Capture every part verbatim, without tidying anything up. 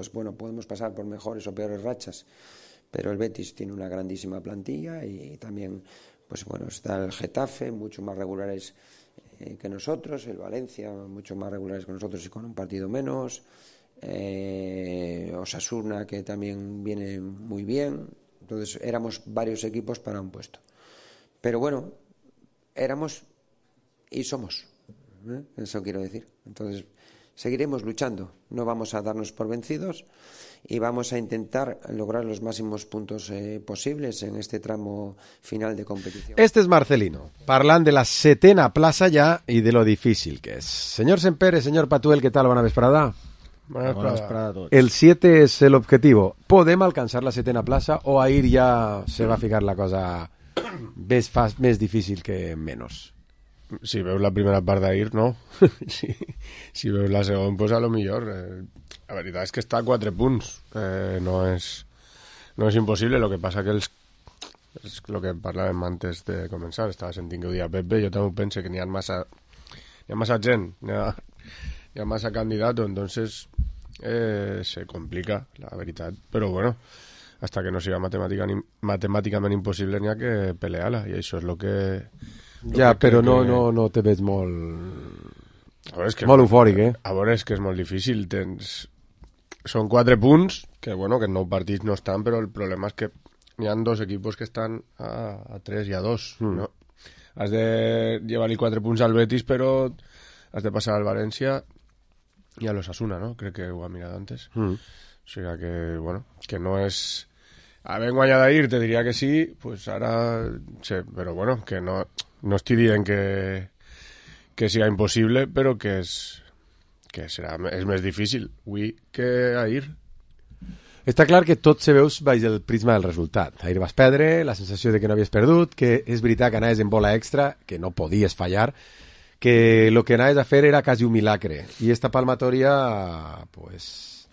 pues bueno, podemos pasar por mejores o peores rachas, pero el Betis tiene una grandísima plantilla y también, pues bueno, está el Getafe, mucho más regulares eh, que nosotros, el Valencia, mucho más regulares que nosotros y con un partido menos, eh, Osasuna, que también viene muy bien. Entonces éramos varios equipos para un puesto. Pero bueno, éramos y somos, ¿eh? Eso quiero decir. Entonces seguiremos luchando, no vamos a darnos por vencidos y vamos a intentar lograr los máximos puntos eh, posibles en este tramo final de competición. Este es Marcelino, parlant de la setena plaça ja i de lo difícil que és. Señor Sempere, señor Patuel, ¿qué tal? Buena vesprada. Buena vesprada a todos. El siete es el objetivo. ¿Podem alcanzar la setena plaça o ahir ja se va a ficar la cosa més, fas, més difícil que menos? Si veus la primera part d'ahir, no. si, si veus la segona, pues a lo millor. Eh, la veritat és que està a quatre punts. Eh, no és no és impossible, lo que passa que els és el que parlàvem antes de començar, estava sentint que ho dia Pepe, jo també penso que n'hi ha massa n'hi ha massa gent, n'hi ha, n'hi ha massa candidato, entonces eh, se complica, la veritat, però bueno, hasta que no siga matemàtica, matemàticament impossible n'hi ha que pelear-la, i això és el que ja, però no, no, no te veig molt a veure, és que molt eufòric, eh? A veure, és que és molt difícil, tens són quatre punts, que bueno, que en nou partits no estan, però el problema és que hi ha dos equipos que estan a, a tres i a dos, mm. no? Has de llevar-li quatre punts al Betis, però has de passar al València i a l'Osasuna, no? Crec que ho ha mirat antes. Mm. O sigui que, bueno, que no és... Havent guanyat ahir, te diria que sí, pues ara... Sí, però bueno, que no, no estic dient que, que sigui impossible, però que és... que serà, és més difícil avui que ahir. Està clar que tot se veus baix el prisma del resultat. Ahir vas perdre, la sensació de que no havies perdut, que és veritat que anaves en bola extra, que no podies fallar, que el que anaves a fer era quasi un milagre. I esta palmatòria, pues,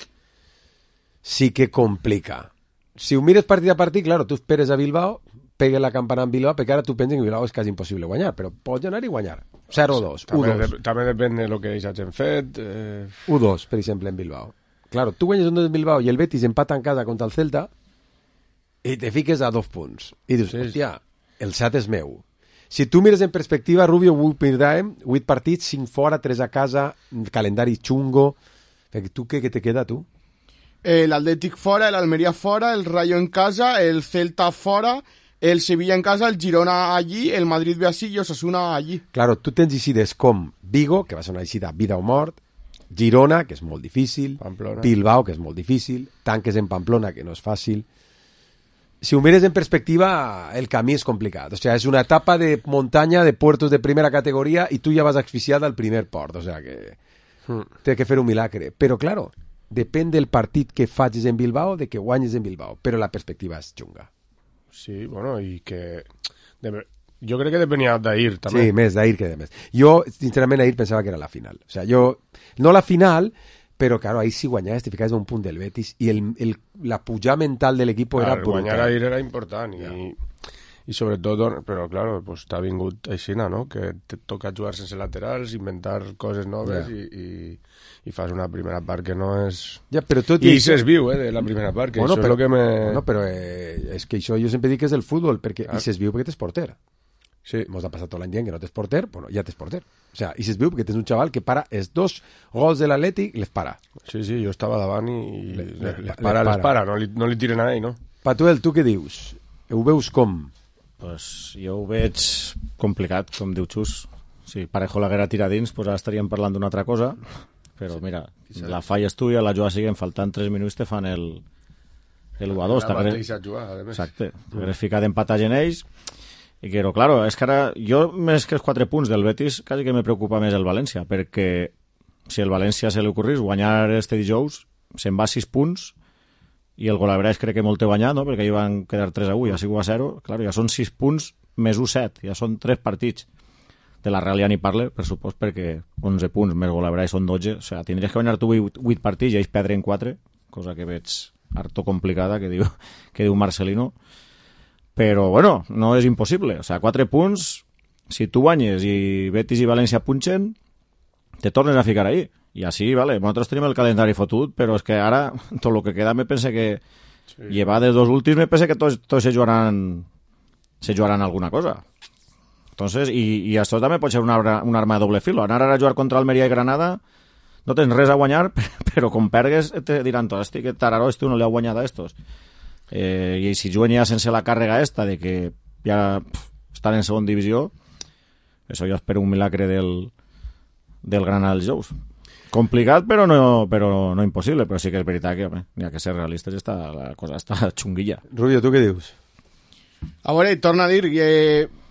sí que complica. Si ho mires partit a partit, claro, tu esperes a Bilbao, pegue la campana en Bilbao, perquè ara tu penses que Bilbao és quasi impossible guanyar, però pots anar i guanyar. zero dos, u dos. De, també depèn de lo que ells hagin fet. Eh... u dos, per exemple, en Bilbao. Claro, tu guanyes un dos en Bilbao i el Betis empata en casa contra el Celta i te fiques a dos punts. I dius, sí, hòstia, el set és meu. Si tu mires en perspectiva, Rubio, vuit partits, cinc fora, tres a casa, calendari xungo. Tu què, què te queda, tu? El Athletic fora, el Almería fora, el Rayo en casa, el Celta fora, el Sevilla en casa, el Girona allí, el Madrid ve així i Osasuna allí. Claro, tu tens eixides com Vigo, que va ser una eixida vida o mort, Girona, que és molt difícil, Pamplona. Bilbao, que és molt difícil, tanques en Pamplona, que no és fàcil. Si ho mires en perspectiva, el camí és complicat. O sea, és una etapa de muntanya de puertos de primera categoria i tu ja vas asfixiat al primer port. O sea, que mm. té que fer un milagre. Però, claro, depèn del partit que facis en Bilbao, de que guanyes en Bilbao. Però la perspectiva és xunga. Sí, bueno, i que... Jo crec que depenia d'ahir, també. Sí, més d'ahir que de més. Jo, sincerament, ahir pensava que era la final. O sea, jo... No la final, però, claro, ahir si guanyaves te ficaves a un punt del Betis i el, el, la pujada mental de l'equip era brutal. Guanyar ahir era important i, ja. i sobretot, però, claro, pues, t'ha vingut aixina, no? Que te toca jugar sense laterals, inventar coses noves ja. i, i, i fas una primera part que no és... Ja, però tot I això s'és viu, eh, de la primera part, que bueno, això però, és el que me... Bueno, però eh, és que això jo sempre dic que és el futbol, perquè ah. i s'és viu perquè t'és porter. Sí. Mos ha passat tot l'any dient que no tens porter, bueno, ja tens porter. O sea, i s'és viu perquè tens un xaval que para els dos gols de l'Atlètic, les para. Sí, sí, jo estava davant i le, le, les, les para, les les para, no li, no li tiren a ell, no? Patuel, tu què dius? Ho veus com? Pues jo ho veig complicat, com diu Xus. Si Parejo l'haguera tirat dins, pues ara estaríem parlant d'una altra cosa, però sí, mira, la falles tu i a la jugada siguen faltant tres minuts te fan el, el u a dos. La mateixa jugada, a més. Exacte, t'hagués ficat empatat en ells. I que, claro, és que ara jo, més que els quatre punts del Betis, quasi que me preocupa més el València, perquè si el València se li ocorrís guanyar este dijous, se'n va a sis punts, i el Golabrès crec que molt té guanyat, no? Perquè hi van quedar tres a u, ja sigut a zero, claro, ja són sis punts més u set, ja són tres partits. De la Real ja ni parle, per supost, perquè onze punts més Golabrès són dotze, o sigui, tindries que guanyar tu vuit partits i ells perdre en quatre, cosa que veig harto complicada, que diu, que diu Marcelino. Però, bueno, no és impossible. O sigui, quatre punts, si tu guanyes i Betis i València punxen, te tornes a ficar ahí. I així, vale, nosaltres tenim el calendari fotut, però és que ara, tot el que queda, me pense que... Sí. Llevar de dos últims, me pense que tots, tots se jugaran se jugaran alguna cosa. Entonces, i, i això també pot ser una, una arma de doble filo. Anar ara a jugar contra Almeria i Granada, no tens res a guanyar, però com pergues te diran tots, hosti, que tararó, este no li ha guanyat a estos. Eh, I si juguen ja sense la càrrega esta de que ja pff, estan en segona divisió, això jo espero un milagre del, del Granada dels Jous. Complicat, però no, però no impossible, però sí que és veritat que home, n'hi ha que ser realistes, està, la cosa està xunguilla. Rubio, tu què dius? A veure, torna a dir que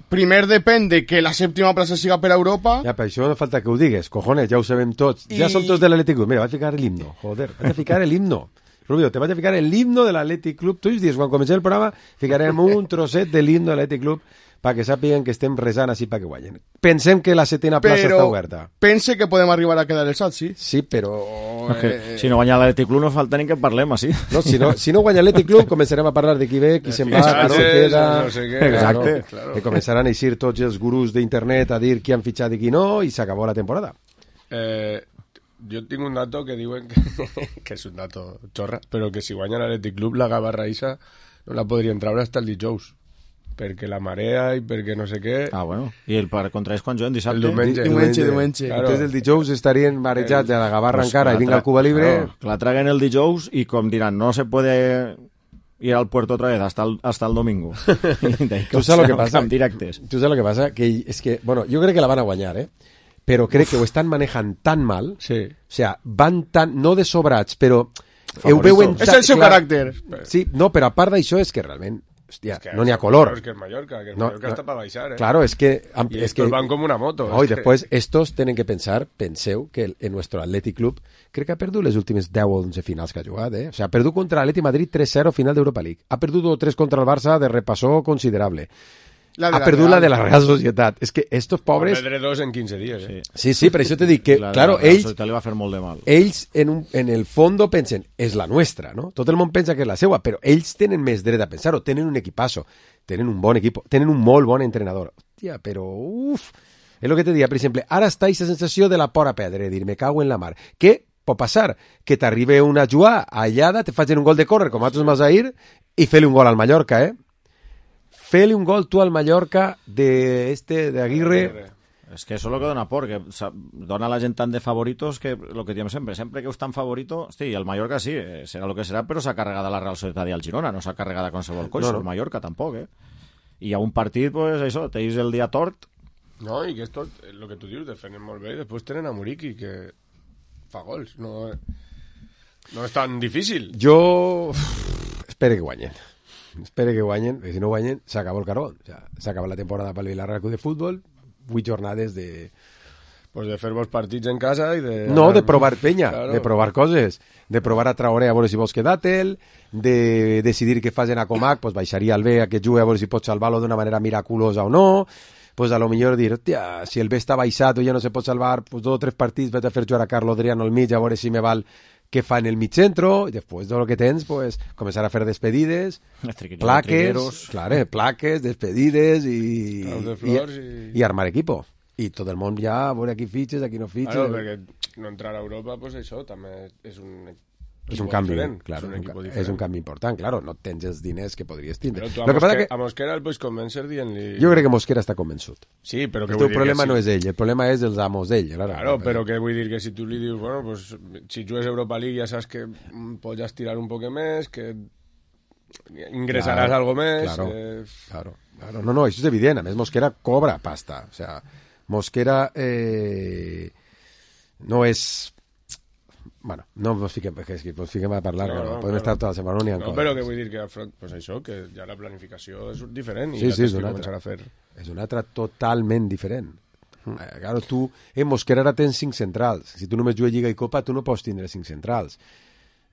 primer depèn de que la sèptima plaça siga per a Europa. Ja, per això no falta que ho digues, cojones, ja ho sabem tots. I... Ja som tots de l'Atlètic Club. Mira, vaig a ficar l'himno, joder, vaig a ficar l'himno. Rubio, te vaig a ficar l'himno de l'Atlètic Club. Tots els dies, quan comencem el programa, ficarem un trosset de l'himno de l'Atlètic Club perquè sàpiguen que estem resant així perquè guanyen. Pensem que la setena plaça però està oberta. Pense que podem arribar a quedar el salt, sí. Sí, però... No, que, eh... Si no guanya l'Atlètic Club no falta ni que parlem, així. No, si no, si no guanya l'Atlètic Club començarem a parlar de qui ve, qui se'n va, qui se queda... No sé què. Exacte. Claro, claro. Que començaran a eixir tots els gurús d'internet a dir qui han fitxat i qui no, i s'acabó la temporada. Eh... Jo tinc un dato que diuen que, que és un dato xorra, però que si guanya l'Atlètic Club la Gavarra Isa no la podrien treure hasta el dijous, perquè la marea i perquè no sé què. Ah, bueno. I el per contra és quan juguen dissabte? El diumenge. Diumenge, diumenge. Claro. Entonces el dijous estarien marejats a la Gavarra pues encara i vinga al Cuba Libre. Claro, que la traguen el dijous i com diran, no se puede ir al puerto otra vez hasta el, hasta el domingo. Tu saps lo que passa? Directes. Tu saps lo que passa? Que és que, bueno, jo crec que la van a guanyar, eh? Però crec que ho estan manejant tan mal, sí. O sea, van tan, no de sobrats, però ho veuen... És el seu clar, caràcter. Sí, no, però a part d'això és que realment, hòstia, es que no n'hi ha color. Es que es Mallorca, que el no, Mallorca no, está para baixar, eh. Claro, es que... Y es estos que, van como una moto. No, es y que... después estos tienen que pensar, penseu, que el, en nuestro Athletic Club crec que ha perdut les últimes deu o onze finals que ha jugat, eh? O sea, ha perdut contra l'Atleti Madrid tres cero final d'Europa League. Ha perdut tres contra el Barça de repassó considerable. La ha perdut la de la Real Societat. És que estos pobres... Va perdre dos en quinze dies, eh? Sí, sí, per això te dic que, la claro, la ells... La Societat li va fer molt de mal. Ells, en, un, en el fondo, pensen, és la nostra, no? Tot el món pensa que és la seva, però ells tenen més dret a pensar-ho, tenen un equipasso, tenen un bon equip, tenen un molt bon entrenador. Hòstia, però, uf... És el que te diia, per exemple, ara està aquesta sensació de la por a perdre, dir, me cago en la mar. Què pot passar? Que t'arribe una jugada allada, te facin un gol de córrer, com a Atos Masair, i fer-li un gol al Mallorca, eh? Feli un gol tu al Mallorca de este de Aguirre. Es que eso es lo que dona por, que dona a la gent tant de favoritos que lo que diem sempre, sempre que us tan favorito, hosti, el Mallorca sí, serà lo que serà, però s'ha carregat a la Real Societat i al Girona, no s'ha carregat a qualsevol coix, no, no. El Mallorca tampoc, eh? I a un partit, pues això, teis el dia tort. No, i que esto, lo que tu dius, defenen molt bé, i després tenen a Muriqui, que fa gols, no, no és tan difícil. Jo espero que guanyen. Espero que guanyen, perquè si no guanyen s'acaba el carbón. O sea, s'acaba la temporada pel Villarreal Club de Futbol, vuit jornades de... Pues de fer vos partits en casa i de... No, de provar penya, claro. De provar coses, de provar a Traoré a veure si vols quedar-te'l, de decidir què fas en Acomac, pues baixaria el B a que jugui a veure si pots salvar-lo d'una manera miraculosa o no, pues a lo millor dir, hòstia, si el B està baixat o ja no se pot salvar, pues dos o tres partits vaig a fer jugar a Carlos Adriano al mig a veure si me val què fa en el mig centro, i després de lo que tens, pues, començar a fer despedides, plaques, claro, plaques, despedides i, i, i, i armar equipo. I tot el món ja, a veure aquí fitxes, aquí no fitxes... Claro, perquè no entrar a Europa, pues això també és un... És un canvi, diferent. claro, és un, un, és un canvi important, claro, no tens els diners que podries tindre. Però tu a, Lo que Mosquera, que... a Mosquera el pots convèncer dient-li... Jo crec que Mosquera està convençut. Sí, però que el vull teu dir problema que no sí. és ell, el problema és els amos d'ell. Claro, claro, però que vull dir que si tu li dius, bueno, pues, si jugues Europa League ja saps que pots estirar un poc més, que ingressaràs claro, algo més... Claro, eh... claro, claro. No, no, això és evident. A més, Mosquera cobra pasta. O sea, Mosquera eh, no és... Bueno, no ens fiquem, és que ens fiquem a parlar, no, no, no, podem claro. Estar tota la setmana ni en no, coses. Però que vull dir que, pues això, que ja la planificació és diferent i sí, ja sí, tens que altra. Començar a fer... És una altra totalment diferent. Mm. Eh, claro, tu, en Mosquera ara tens cinc centrals. Si tu només jugues Lliga i Copa, tu no pots tindre cinc centrals.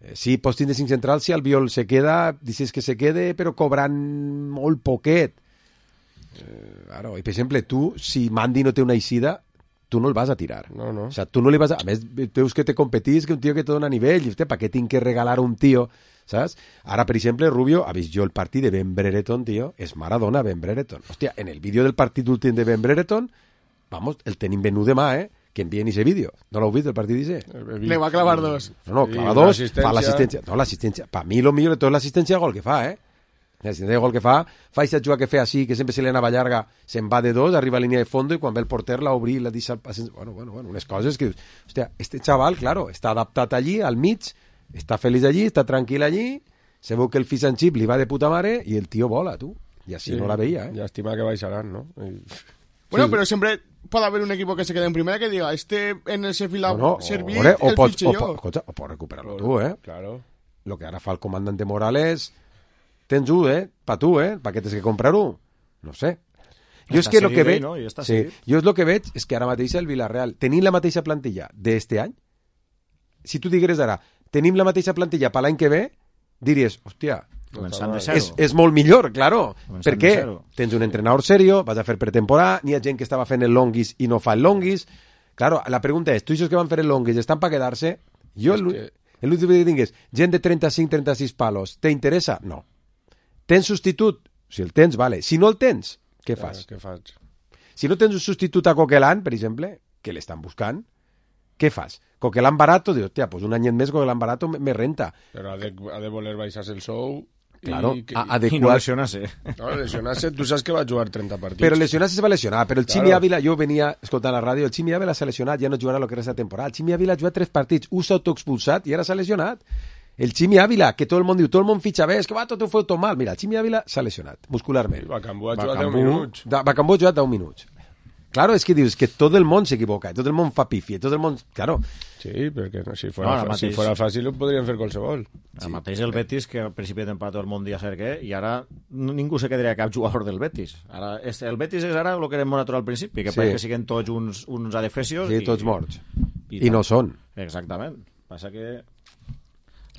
Eh, sí, pots tindre cinc centrals si el Biol se queda, dices que se quede, però cobrant molt poquet. Eh, claro, i per exemple, tu, si Mandi no té una eixida, tu no el vas a tirar. No, no. O sea, tu no li vas a... A més, veus que te competís, que un tio que te dona nivell, i, hòstia, ¿para qué tinc que regalar un tio? ¿Sabes? Ara, per exemple, Rubio, ha vist jo el partit de Ben Brereton, tio, és Maradona Ben Brereton. Hòstia, en el vídeo del partit últim de Ben Brereton, vamos, el tenim venut demà, eh? que envien ese vídeo. No l'heu vist, el partit d'Ise? Le va clavar dos. No, no, clava dos, fa l'assistència. No, l'assistència. Per mi, el millor de tot l'assistència de gol que fa, eh? L'assistència de gol que fa, fa aquesta jugada que fa així, que sempre se li anava llarga, se'n va de dos, arriba a línia de fondo i quan ve el porter la obri i la deixa... Bueno, bueno, bueno, unes coses que dius, hòstia, este xaval, claro, està adaptat allí, al mig, està feliç allí, està tranquil allí, se veu que el fish and chip li va de puta mare i el tio vola, tu. I així sí, no la veia, eh? Llàstima que baixaran, no? I... Bueno, Sí. pero siempre puede haber un equipo que se quede en primera que diga, este en el Sheffield No, no, servir o, o, el pots, fitxe o, jo. po- escolta, o pots recuperar-lo tu, eh? Claro. Lo que ara fa el comandante Morales, tens un, eh? Pa tu, eh? Pa què tens que comprar-ho? No sé. Jo és Està que lo que seguit, veig... no? I està Sí, seguit. jo és lo que veig és que ara mateix el Villarreal, tenint la mateixa plantilla d'este any, si tu digueres ara, tenim la mateixa plantilla per l'any que ve, diries, hòstia, Començant de zero. és, és molt millor, claro. Començant Per de què? zero. Tens un entrenador serio, vas a fer pretemporada, n'hi ha gent que estava fent el longuis i no fa el longuis. Claro, la pregunta és, tu això que van fer el longuis estan per quedar-se? Jo, el, que- l'últim que tinc és, gent de trenta-cinc trenta-sis palos, te interessa? No. Tens substitut? Si el tens, vale. Si no el tens, què fas? Què faig? Si no tens un substitut a Coquelin, per exemple, que l'estan buscant, què fas? Coquelin barato, dius, hòstia, pues un anyet més Coquelin barato me, me renta. Però ha de, ha de voler baixar-se el sou... Claro, i que, a- I no adequat. lesionar-se. no, lesionar-se, tu saps que va jugar trenta partits. Però lesionar-se es va lesionar, però el Ximi Claro. Ávila, jo venia escoltant la ràdio, el Ximi Ávila s'ha lesionat, ja no jugarà el que resta de temporada. El Ximi Ávila ha jugat tres partits, un s'ha autoexpulsat i ara s'ha lesionat. El Ximi Ávila, que tot el món diu, tot el món fitxa bé, és que va, tot ho feu tot mal. Mira, el Ximi Ávila s'ha lesionat, muscularment. I Bacambú ha jugat Bacambú- deu minuts. Da- Bacambú ha jugat deu minuts. Claro, és que dius que tot el món s'equivoca, tot el món fa pifi, tot el món... Claro, Sí, perquè no, si, fora, No, ara fa- si mateix- fora fàcil ho podrien fer qualsevol. El mateix el Betis, que al principi de temporada tot el món dia ser què, i ara no- ningú se quedaria cap jugador del Betis. Ara, és, el Betis és ara el que érem nosaltres al principi, que Sí. pareix que siguen tots uns, uns adefesios. sí, tots morts. I, I no són. Exactament. Passa que...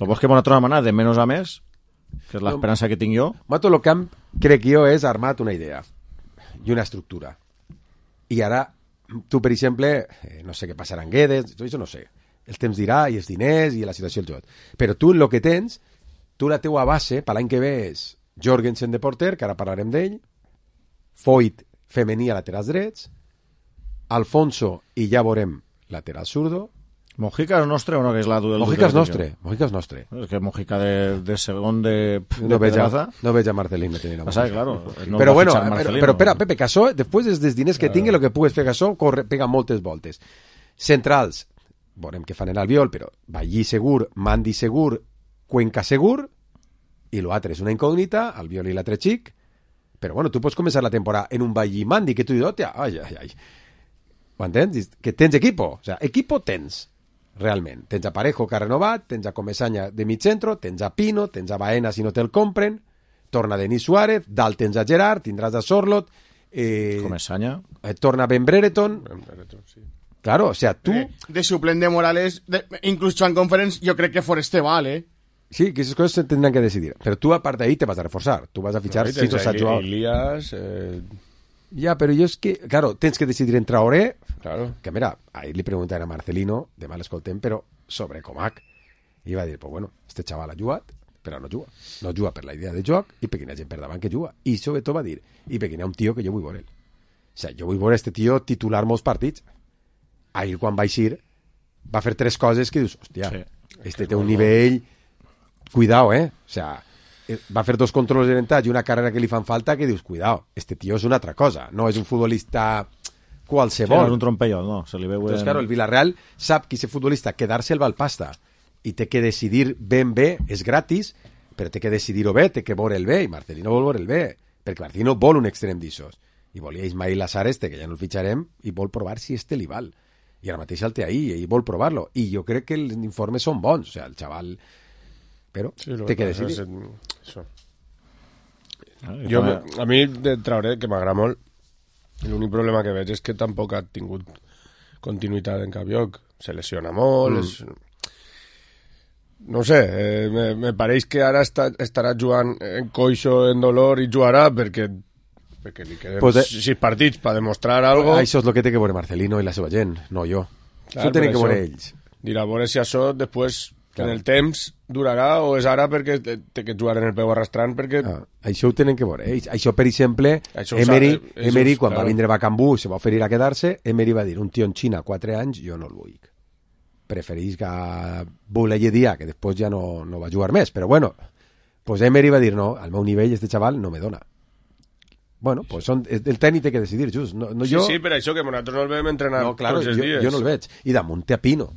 El bo és que nosaltres hem anat de menys a més, que és l'esperança que tinc jo. Mato lo camp, crec jo, és armat una idea i una estructura. I ara, tu, per exemple, eh, no sé què passarà en Guedes, tot això no sé. El temps dirà, i els diners, i la situació del joc. Però tu, el que tens, tu la teua base, per l'any que ve, és Jorgensen de porter, que ara parlarem d'ell, Foyt, femení a laterals drets, Alfonso, i ja veurem, lateral zurdo. Mojica és nostre o no, que és la del... Mojica és del- nostre, Mojica és nostre. És que Mojica de, de segon de, de No veig, a, Pedraza. no veig a Marcelino tenint la Passa Mojica. que, claro, no però va bueno, fitxar però, Marcelino. però espera, Pepe, Casó, després dels, dels diners que tingui, el que pugues fer Casó, corre, pega moltes voltes. Centrals, veurem què fan en Albiol, però Ballí segur, Mandi segur, Cuenca segur, i l'altre és una incògnita, Albiol i l'altre xic, però bueno, tu pots començar la temporada en un Ballí Mandi, que tu dius, hòstia, ai, ai, ai. Ho entens? Que tens equipo, o sea, equipo tens, realment. Tens a Parejo que ha renovat, tens a Comesaña de mig centro, tens a Pino, tens a Baena si no te'l compren, torna Denis Suárez, dalt tens a Gerard, tindràs a Sorlot, eh, Comesaña. eh, torna Ben Brereton, Sí. claro, o sea, tu... Eh, de suplent de Morales, de, incluso en Conference, jo crec que Foreste val, eh? Sí, que esas cosas se tendrán que decidir. Pero tú, aparte de ahí, te vas a reforzar. Tú vas a fichar No, i si tens no s'ha ahí jugat. Elías, eh, Ya, pero yo es que, claro, tens que decidir en Traoré, claro. que mira, ahí le preguntan a Marcelino, de mal escoltem, pero sobre Comac. I va dir, pues bueno, este chaval ha jugat, però no juga. No juga per la idea de joc i perquè hi ha gent per davant que juga. I sobretot va dir, i perquè hi ha un tio que jo vull veure. O sea, jo vull veure este tio titular molts partits. Ahir, quan va eixir, va fer tres coses que dius, hòstia, Sí. este té un nivell... Cuidado, eh? O sea, eh, va fer dos controls d'orientat i una carrera que li fan falta que dius, cuidado, este tio és una altra cosa, no és un futbolista Sí, qualsevol. no és un trompellot, no. Se li veu... Entonces, en- claro, el Villarreal sap que ese futbolista quedar-se el Valpasta i té que decidir ben bé, és gratis, però té que decidir-ho bé, té que veure el bé, i Marcelino vol veure el bé, perquè Marcelino vol un extrem d'ixos. I volia Ismail Azar este, que ja no el fitxarem, i vol provar si este li val. I ara mateix el té ahí, i vol provar-lo. I jo crec que els informes són bons, o sea, el xaval... Però Sí, lo té que pasa decidir. es- Eso. Ah, i Jo, fa- a mi de Traoré, que m'agrada molt, l'únic problema que veig és que tampoc ha tingut continuïtat en cap lloc. Se lesiona molt, mm. és... No sé, eh, me, me pareix que ara està, estarà jugant en coixo, en dolor, i jugarà perquè, perquè li queden Pues, eh, pues, sis partits per demostrar algo. Això és el que té que veure Marcelino i la seva gent, no jo. Clar, Això tenen per que veure això. ells. Dirà, a veure si això després Claro. En el temps durarà o és ara perquè té que jugar en el peu arrastrant perquè... Ah, això ho tenen que veure. Eh? Això, per exemple, això Emery, sabe, Emery és, quan claro. va vindre a Bacambú, se va oferir a quedar-se, Emery va dir, un tio en Xina, quatre anys, jo no el vull. Preferís que volia dir que després ja no, no va jugar més, però bueno, pues Emery va dir, no, al meu nivell este xaval no me dona. Bueno, pues son, el tècnic té que decidir, just. No, no, sí, jo... sí, per això que nosaltres no el vam entrenar no, claro, tots els jo, dies. Jo no el veig. I damunt té a Pino,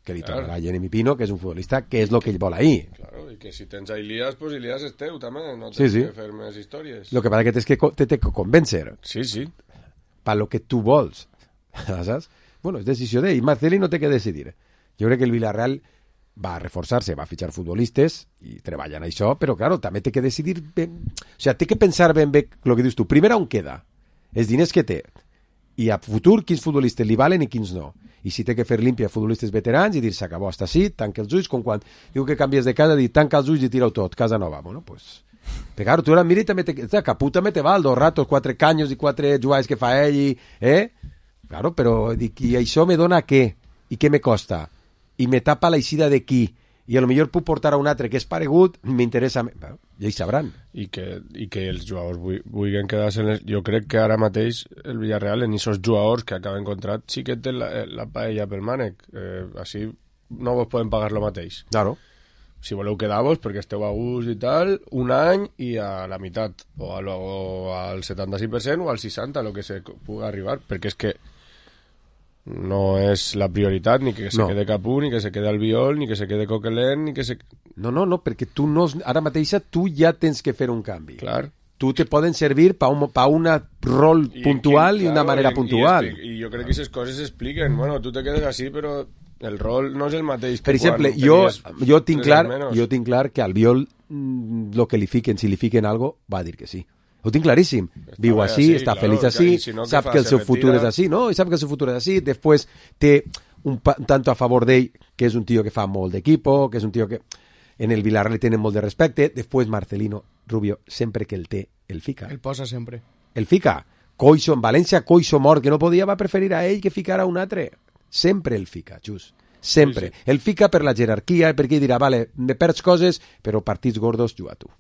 que li claro. tornarà Jeremy Pino, que és un futbolista que és el que ell vol ahir. Claro, i que si tens a Ilias, pues Ilias és teu també, no tens sí, sí. que fer més històries. Lo que passa que tens que te, te convèncer. Sí, sí. Pa lo que tu vols, saps? Bueno, és decisió d'ell. Marcelino té que decidir. Jo crec que el Villarreal va a reforçar-se, va a fitxar futbolistes i treballen això, però claro, també té que decidir ben... O sea, té que pensar ben bé el que dius tu. Primer, on queda? Els diners que té. I a futur, quins futbolistes li valen i quins no. I si té que fer límpia a futbolistes veterans i dir s'acabó hasta així, tanca els ulls, com quan diu que canvies de casa, dir tanca els ulls i tira-ho tot, casa nova. Bueno, pues... Però claro, tu ara mira i també te... Capú també te val, dos ratos, quatre canyos i quatre jugades que fa ell i... Eh? Claro, però dic, i això me dona què? I què me costa? I me tapa la eixida de qui? I a lo millor puc portar a un altre que és paregut, m'interessa... Bueno, ja hi sabran. I que, i que els jugadors vulguin quedar-se en les... Jo crec que ara mateix el Villarreal, en aquests jugadors que acaben contrat, sí que té la, la paella pel mànec. Eh, així no vos poden pagar lo mateix. Claro. Si voleu quedar-vos perquè esteu a gust i tal, un any i a la meitat, o, a lo, o al setanta-cinc per cent o al seixanta per cent, el que se pugui arribar, perquè és que no és la prioritat ni que se no. quede Capú, ni que se quede Albiol, ni que se quede Coquelin, ni que se... No, no, no, perquè tu no... Ara mateixa tu ja tens que fer un canvi. Clar. Tu te poden servir pa un pa una rol I, puntual i, i, una claro, manera i, puntual. I, i jo crec que aquestes coses s'expliquen. Bueno, tu te quedes així, però el rol no és el mateix que per exemple, quan jo, tenies jo, tinc clar, menos. jo tinc clar que al Albiol el que li fiquen, si li fiquen algo, va dir que sí. Ho tinc claríssim. Està Viu així, així, està claro, feliç així, si no, sap fa? que el Se seu futur retira. és així, no? I sap que el seu futur és així. Després té un, pa, un tanto a favor d'ell, que és un tio que fa molt d'equipo, que és un tio que en el Villarreal li tenen molt de respecte. Després Marcelino Rubio, sempre que el té, el fica. El posa sempre. El fica. Coixo, en València, Coixo mort, que no podia, va preferir a ell que ficar a un altre. Sempre el fica, just. Sempre. Sí, sí. El fica per la jerarquia, perquè dirà, vale, me perds coses, però partits gordos, juga tu.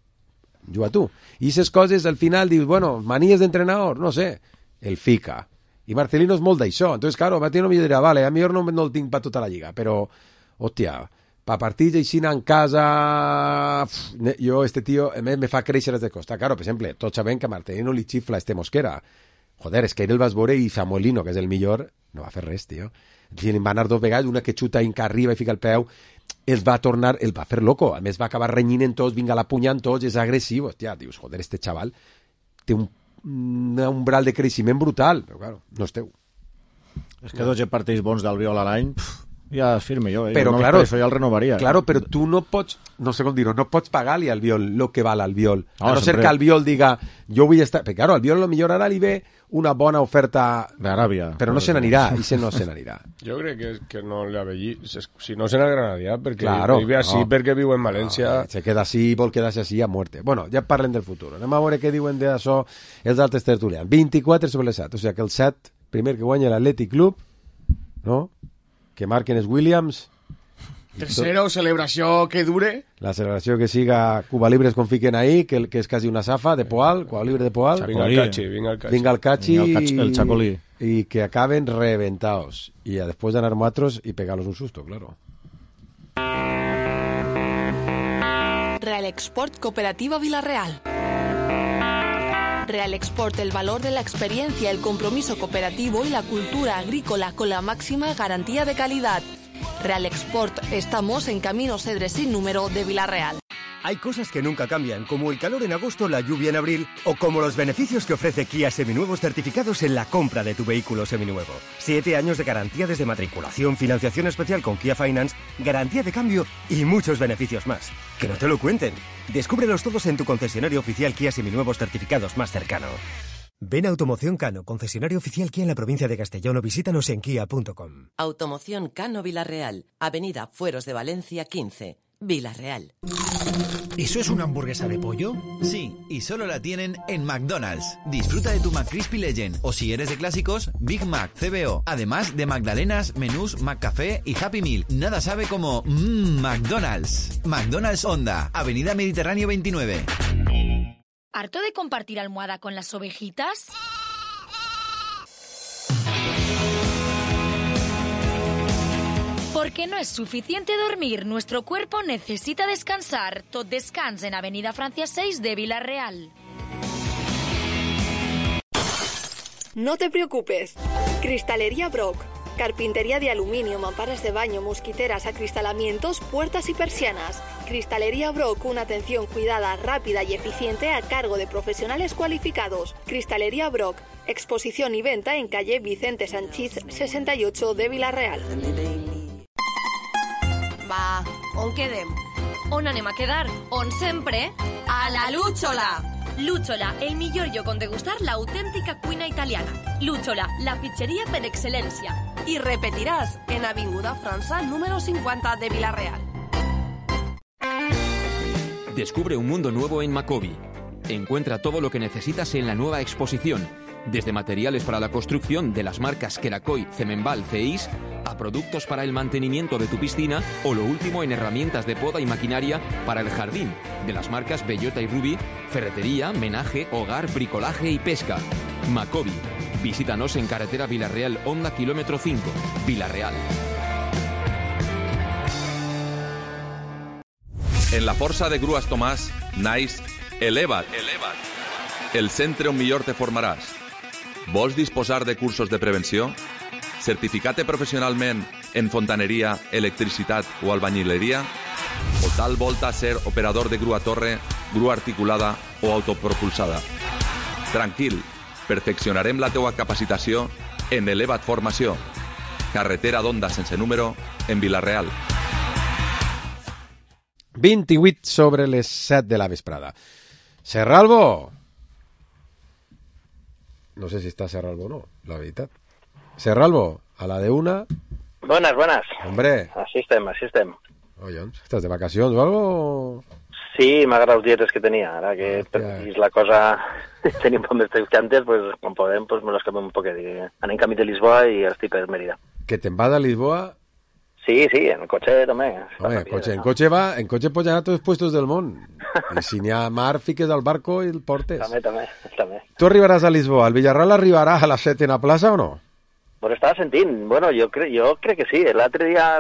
Juga tu. I aquestes coses, al final, dius, bueno, manies d'entrenador, no sé. El fica. I Marcelino és molt d'això. Entonces, claro, Marcelino mi dirà, vale, a millor no, no el tinc per tota la lliga, però, hòstia, pa partits així en casa... Uf, jo, este tio, a més, me fa créixer des de costa. Claro, per exemple, tots sabem que a Marcelino li xifla este Mosquera. Joder, és que ell el vas veure i Samuelino, que és el millor, no va fer res, tio. Si li va anar dos vegades, una que xuta inca arriba i fica el peu, els va tornar, el va fer loco. A més, va acabar renyint en tots, vinga la punya en tots, és agressiu. Hòstia, dius, joder, este xaval té un, un umbral de creixement brutal. Però, claro, no és teu. És que dotze partits bons d'Albiol a l'any, ja es firme jo, eh? Però, no, claro, per això ja el renovaria. Claro, però tu no pots, no sé com dir-ho, no pots pagar-li al Albiol el que val Albiol. No, a no sempre... ser que Albiol diga, jo vull estar... Perquè, claro, Albiol millor ara li ve una bona oferta... d'Aràbia. Però no se n'anirà, i se no se n'anirà. Jo crec que, que no li avellí, si no se n'agradaria, perquè Claro, vive així, no. perquè viu en València. No, se queda així, vol quedar-se així a muerte. Bueno, ja parlen del futur. Anem a veure què diuen d'això els altres tertulians. vint-i-quatre sobre les set, o sigui que el set, primer que guanya l'Atlètic Club, no? Que marquen els Williams... Tercero, celebració que dure. La celebració que siga Cuba Libres com fiquen ahí, que, que és quasi una safa de Poal, Cuba Libre de Poal. Vinga el Cachi, vinga el Cachi. Vinga el Cachi, Vinga el Cachi, el Chacolí. Y que acaben reventados. Y a después de ganar nosotros y pegarlos un susto, claro. Real Export Cooperativa Villarreal. Real Export, el valor de la experiencia, el compromiso cooperativo y la cultura agrícola con la máxima garantía de calidad. Real Export, estamos en Camino Cedres sin número de Villarreal. Hay cosas que nunca cambian, como el calor en agosto, la lluvia en abril, o como los beneficios que ofrece Kia Seminuevos certificados en la compra de tu vehículo seminuevo. Siete años de garantía desde matriculación, financiación especial con Kia Finance, garantía de cambio y muchos beneficios más. Que no te lo cuenten. Descúbrelos todos en tu concesionario oficial Kia Seminuevos certificados más cercano. Ven a Automoción Cano, concesionario oficial Kia en la provincia de Castellón, o visítanos en kia punto com. Automoción Cano Villarreal, Avenida Fueros de Valencia quince, Villarreal. ¿Eso es una hamburguesa de pollo? Sí, y solo la tienen en McDonald's. Disfruta de tu McCrispy Legend, o si eres de clásicos, Big Mac, C B O. Además de Magdalenas, menús, McCafé y Happy Meal. Nada sabe como mmm, McDonald's. McDonald's Honda, Avenida Mediterráneo veintinueve. ¿Harto de compartir almohada con las ovejitas? Porque no es suficiente dormir, nuestro cuerpo necesita descansar. Tot descans en Avenida Francia seis de Villarreal. No te preocupes. Cristalería Brock. Carpintería de aluminio, mamparas de baño, mosquiteras, acristalamientos, puertas y persianas. Cristalería Brock, una atención cuidada, rápida y eficiente a cargo de profesionales cualificados. Cristalería Brock, exposición y venta en calle Vicente Sanchís sesenta y ocho de Villarreal. Va, on quedem? On anem a quedar? On sempre? A la Lúchola! Lúchola, el millor lloc on degustar l'autèntica cuina italiana. Lúchola, la pizzeria per excel·lència. I repetiràs en Avinguda França número cincuenta de Villarreal. Descubre un mundo nuevo en Macobi. Encuentra todo lo que necesitas en la nueva exposición, desde materiales para la construcción de las marcas Kerakoy, Cemenbal, Ceis, a productos para el mantenimiento de tu piscina o lo último en herramientas de poda y maquinaria para el jardín, de las marcas Bellota y Ruby, ferretería, menaje, hogar, bricolaje y pesca. Macobi. Visítanos en carretera Villarreal, Honda, kilómetro cinco, Villarreal. En la Força de Grues Tomàs naix Eleva't, Eleva't, el centre on millor te formaràs. Vols disposar de cursos de prevenció? Certificar-te professionalment en fontaneria, electricitat o albañileria? O tal volta ser operador de grua torre, grua articulada o autopropulsada? Tranquil, perfeccionarem la teua capacitació en Eleva't Formació. Carretera d'Onda sense número en Vilareal. vint-i-vuit sobre les set de la vesprada. Serralbo! No sé si está Serralbo o no, la veritat. Serralbo, a la de una... Buenas, buenas. Hombre. Així estem, així estem. Oye, ¿estás de vacacions o algo? Sí, m'agrada els dietes que tenia. Ara que és la cosa... Tenim un poc més temps que antes, pues, quan podem, pues, me los canviem un poquet. Anem camí de Lisboa i estic per Mérida. Que te'n vas a Lisboa... Sí, sí, en el cotxe també. Home, en cotxe, en cotxe va, en cotxe pots anar a tots els puestos del món. I si n'hi ha mar, fiques al barco i el portes. També, també, també. Tu arribaràs a Lisboa, el Villarreal arribarà a la setena plaça o no? Pues estava sentint, bueno, jo, cre jo crec que sí. L'altre dia,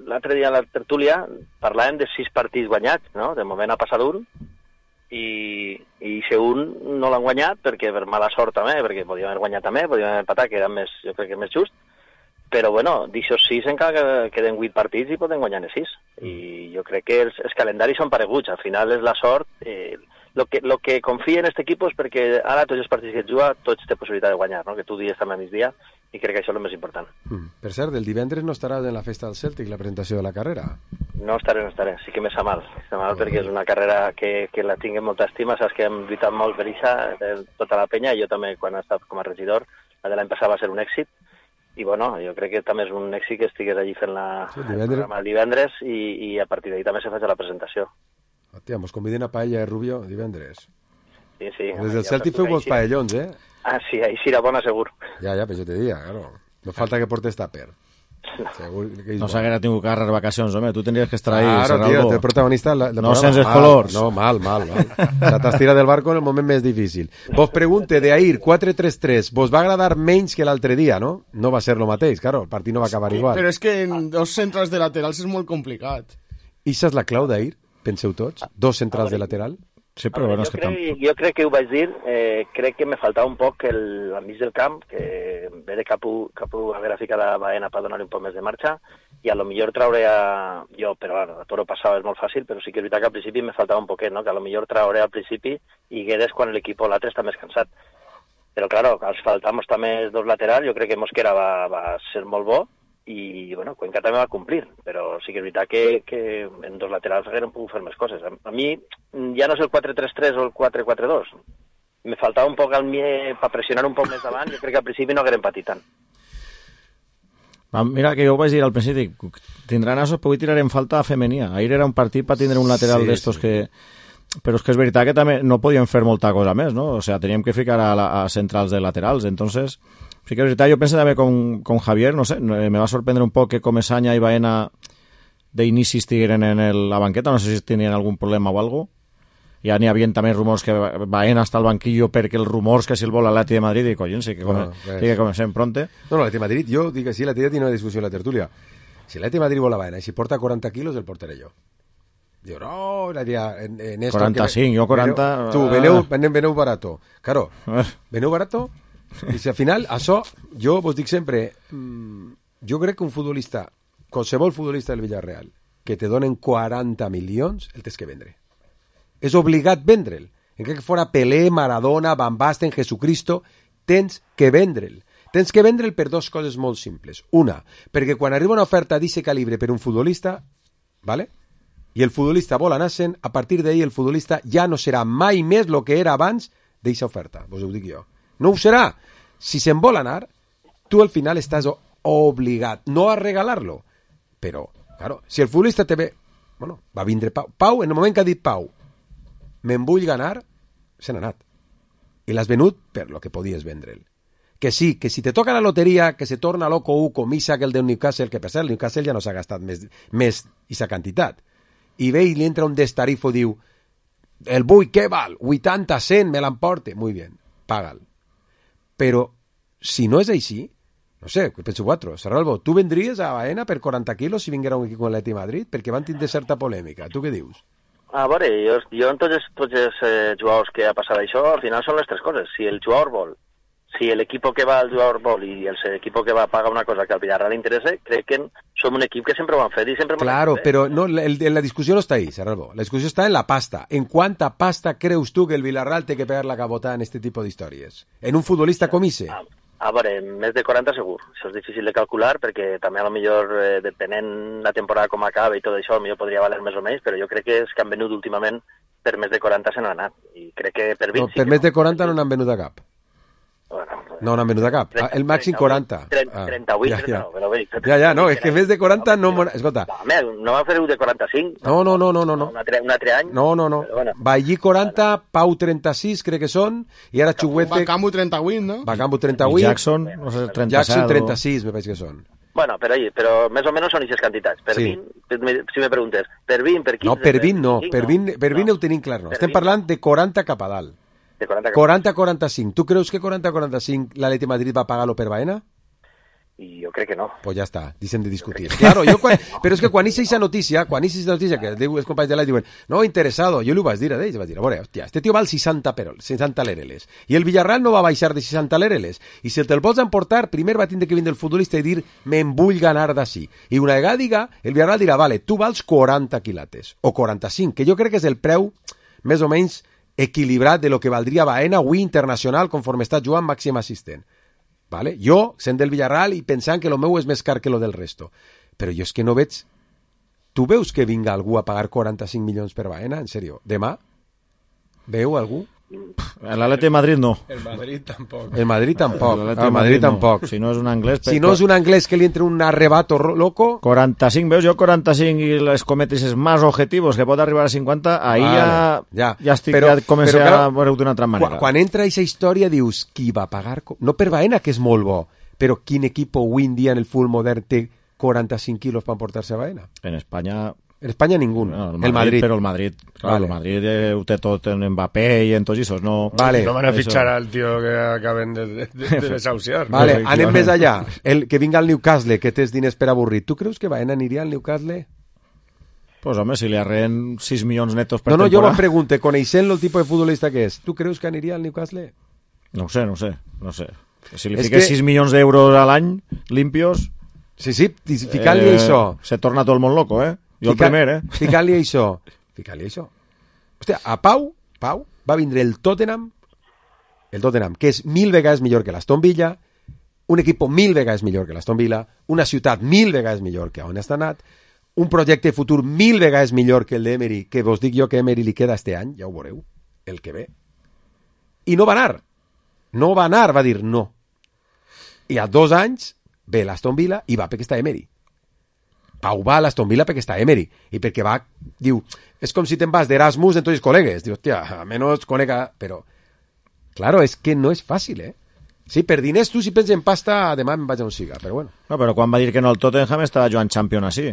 l'altre dia a la tertúlia parlàvem de sis partits guanyats, no? De moment ha passat un, i, i si un no l'han guanyat, perquè per mala sort també, perquè podíem haver guanyat també, podíem haver empatat, que era més, jo crec que més just. Però, bueno, d'aixòs sis encara queden vuit partits i poden guanyar-ne sis. I jo crec que els, els calendaris són pareguts. Al final és la sort. Eh, lo que, lo que confia en aquest equip és perquè ara tots els partits que et juga, tots té possibilitat de guanyar, no? Que tu dies també a migdia, i crec que això és el més important. Mm. Per cert, el divendres no estaràs en la festa del Celtic, la presentació de la carrera? No estaré, no estaré. Sí que me sa mal. Me sa mal oh, perquè és una carrera que, que la tinc en molta estima. Saps que hem lluitat molt per això, tota la penya. Jo també, quan he estat com a regidor, la de l'any passat va ser un èxit. I bueno, jo crec que també és un èxit que estigués allí fent la, sí, el programa el divendres i, i a partir d'ahir també se faig la presentació. Hòstia, mos conviden a Paella de Rubio divendres. Sí, sí. Des del Celtic feu molts paellons, eh? Ah, sí, ahí sí era bona, segur. Ja, ja, però jo te diria, claro. No falta que portes tàper. Segur que no s'haguera tingut que agarrar vacacions, home. Tu tendries que estar ahí, claro, tío, el protagonista del no programa. Sense els mal, colors. No, mal, mal, mal. O sea, t'has tirat del barco en el moment més difícil. Vos pregunte, de Air quatre tres tres, vos va agradar menys que l'altre dia, no? No va ser lo mateix, claro, el partit no va acabar sí, igual. Però és que en dos centrals de laterals és molt complicat. Ixa és la clau d'Air, penseu tots? Dos centrals de lateral? Sí, però bueno, jo, és que crec, tampoc... jo crec que ho vaig dir, eh, crec que me faltava un poc el, al mig del camp, que en vez de Capu, Capu haver ficat a Baena per donar-li un poc més de marxa, i a lo millor traure a... Jo, però bueno, a Toro passava és molt fàcil, però sí que és veritat que al principi me faltava un poquet, no? Que a lo millor traure al principi i Guedes quan l'equip o l'altre està més cansat. Però, claro, als faltamos també dos laterals, jo crec que Mosquera va, va ser molt bo, i, bueno, Cuenca també va complir, però sí que és veritat que, que en dos laterals hagueren pogut fer més coses. A, a mi ja no és el quatre tres tres o el quatre quatre dos. Me faltava un poc al mie per pressionar un poc més davant, jo crec que al principi no hagueren patit tant. Mira, que jo ho vaig dir al principi, tindran asos, però avui tirarem falta a femenia. Ahir era un partit per tindre un lateral sí, d'estos sí. que... Però és que és veritat que també no podíem fer molta cosa més, no? O sea, teníem que ficar a, la, a centrals de laterals. Entonces, sí que és veritat, jo penso també con, con Javier, no sé, me va sorprendre un poc que Comesaña i Baena d'inici estigueren en el, la banqueta, no sé si tenien algun problema o algo. Ja n'hi havia també rumors que Baena està al banquillo perquè els rumors que si el vol l'Atleti de Madrid i collons, sí que, come, no, sí que comencem pronte. No, no, l'Atleti de Madrid, jo dic que sí, l'Atleti tiene una discussió en la tertúlia. Si l'Atleti de Madrid vol a Baena i si porta quaranta quilos, el portaré jo. Digo, no, la tía, en, en esto... quaranta-cinc, que, jo quaranta... Veneu, tu, veneu, veneu, veneu barato. Claro, veneu barato, i si al final, això, jo vos dic sempre, mmm, jo crec que un futbolista, qualsevol futbolista del Villarreal, que te donen quaranta milions, el tens que vendre. És obligat vendre'l. Encara que fora Pelé, Maradona, Van Basten, Jesucristo, tens que vendre'l. Tens que vendre'l per dues coses molt simples. Una, perquè quan arriba una oferta d'aquest calibre per un futbolista, ¿vale? I el futbolista vol anar-se'n, a partir d'ahir el futbolista ja no serà mai més el que era abans d'aquesta oferta. Vos ho dic jo. No ho serà. Si se'n vol anar, tu al final estàs obligat, no a regalar-lo. Però, claro, si el futbolista te ve... Bueno, va vindre Pau. Pau, en el moment que ha dit Pau, me'n vull ganar, se n'ha anat. I l'has venut per lo que podies vendre'l. Que sí, que si te toca la loteria, que se torna loco u com Isaac, el del Newcastle, que per cert, el Newcastle ja no s'ha gastat més, més aquesta quantitat. I ve i li entra un destarifo, diu, el vull, què val? vuitanta, cent, me l'emporte. Muy bien, paga'l. Però, si no és així, no sé, què penso vosaltres? Sarralbo, tu vendries a Baena per quaranta quilos si vinguera un equip com l'Atleti de Madrid? Perquè van tindre certa polèmica. Tu què dius? A veure, jo, jo en tots els, tots els eh, jugadors que ha passat això, al final són les tres coses. Si el jugador vol, si l'equip que va al jugador vol i l'equip que va paga una cosa que al Villarreal li interessa, crec que som un equip que sempre ho han fet i sempre... Claro, fet, eh? Però no, el, la discussió no està ahí, Sarralbo. La discussió està en la pasta. En quanta pasta creus tu que el Villarreal té que pegar la cabota en este tipo d'històries? En un futbolista com ese? A, a veure, més de quaranta segur. Això és difícil de calcular perquè també a lo millor, eh, depenent la temporada com acaba i tot això, a lo millor podria valer més o menys, però jo crec que és que han venut últimament per més de quaranta se n'han anat. I crec que per vint... No, per sí més de quaranta no n'han venut a cap. Bueno, no, no han venut a cap. trenta, El màxim quaranta. trenta, trenta-vuit, ja, ja. no, però bé. Ja, ja, no, és que més de quaranta no... Escolta. No, no va fer un de quaranta-cinc. No, no, no, no, no. no. Un, altre, un altre any. No, no, no. Bueno. Vallí quaranta, bueno. Pau trenta-sis, crec que són, i ara Chuguete... Bacambu trenta-vuit, no? Bacambu trenta-vuit. Jackson, no sé, trenta-set. Jackson trenta-sis, me pareix que són. Bueno, però, però més o menys són aquestes quantitats. Per sí. vint, si me preguntes, per vint, per quinze... No, per vint no, per vint, per vint no. Ho tenim clar, no. Estem parlant de quaranta cap a dalt. De quaranta a quaranta-cinc. Tu creus que quaranta a quaranta-cinc l'Atleti de Madrid va pagar-lo per Baena? I jo crec que no. Pues ja està, deixem de discutir. Claro, jo quan, però és que quan hice esa notícia, quan hice esa notícia, que els companys de l'Atleti diuen, no, interesado, jo li ho vaig dir a ells, vaig dir, a veure, hòstia, este tio val seixanta, però, seixanta lereles, i el Villarreal no va baixar de seixanta lereles, i si te'l vols emportar, primer va tindre que vindre el futbolista i dir, me'n vull ganar d'ací. I una vegada diga, el Villarreal dirà, vale, tu vals quaranta quilates, o quaranta-cinc, que jo crec que és el preu, més o menys, equilibrat de lo que valdria Baena avui internacional conforme està jugant màxim assistent. Vale? Jo, sent del Villarreal i pensant que lo meu és més car que lo del resto. Però jo és que no veig... Tu veus que vinga algú a pagar quaranta-cinc milions per Baena? En sèrio? Demà? Veu algú? L'Atleti de Madrid no. El Madrid tampoc. El Madrid tampoc. El el Madrid tampoc. No. Si no és un anglès... Si no és un anglès que li entre un arrebato loco... quaranta-cinc, veus? Jo quaranta-cinc i les cometes més objectius que pot arribar a cinquanta, ahí vale, ja, ja, ja estic, però, ja comença però, clar, a veure d'una altra manera. Quan, quan entra aquesta història dius, qui va pagar... No per Baena, que és molt bo, però quin equip avui en dia en el futbol modern té quaranta-cinc quilos per emportar-se a Baena? En Espanya... En España ningún. No, el, el Madrid. Pero el Madrid, claro, vale. El Madrid eh, ho té tot en Mbappé i en tots esos, no... Vale. No van a fichar al tío que acaben de, de, de, de desahuciar. Vale, no, anem més allà. El que vinga al Newcastle, que tens diners per avorrir. Tu creus que Baena aniria al Newcastle? Pues home, si li arreen sis milions netos per no, no, temporada... No, no, jo me pregunte, coneixent el tipus de futbolista que és, tu creus que aniria al Newcastle? No ho sé, no ho sé, no sé. Si li fiques que... sis milions d'euros a l'any, limpios... Sí, sí, ficant-li eh, això. Se torna tot el món loco, eh? Jo Fica, el primer, eh? Ficant-li això. Ficant-li això. Hòstia, a Pau, Pau va vindre el Tottenham, el Tottenham, que és mil vegades millor que l'Aston Villa, un equip mil vegades millor que l'Aston Villa, una ciutat mil vegades millor que on està anat, un projecte futur mil vegades millor que el d'Emery, que vos dic jo que Emery li queda este any, ja ho veureu, el que ve. I no va anar. No va anar, va dir no. I a dos anys ve l'Aston Villa i va perquè està Emery. Pau va a l'Aston Villa perquè està Emery i perquè va, diu, és com si te'n vas d'Erasmus en tots els col·legues. Diu, hòstia, almenys conega... Però, claro, és que no és fàcil, eh? Sí, per diners tu si penses en pasta, demà em vaig a on siga, però bueno. No, però quan va dir que no el Tottenham estava jugant Champions així.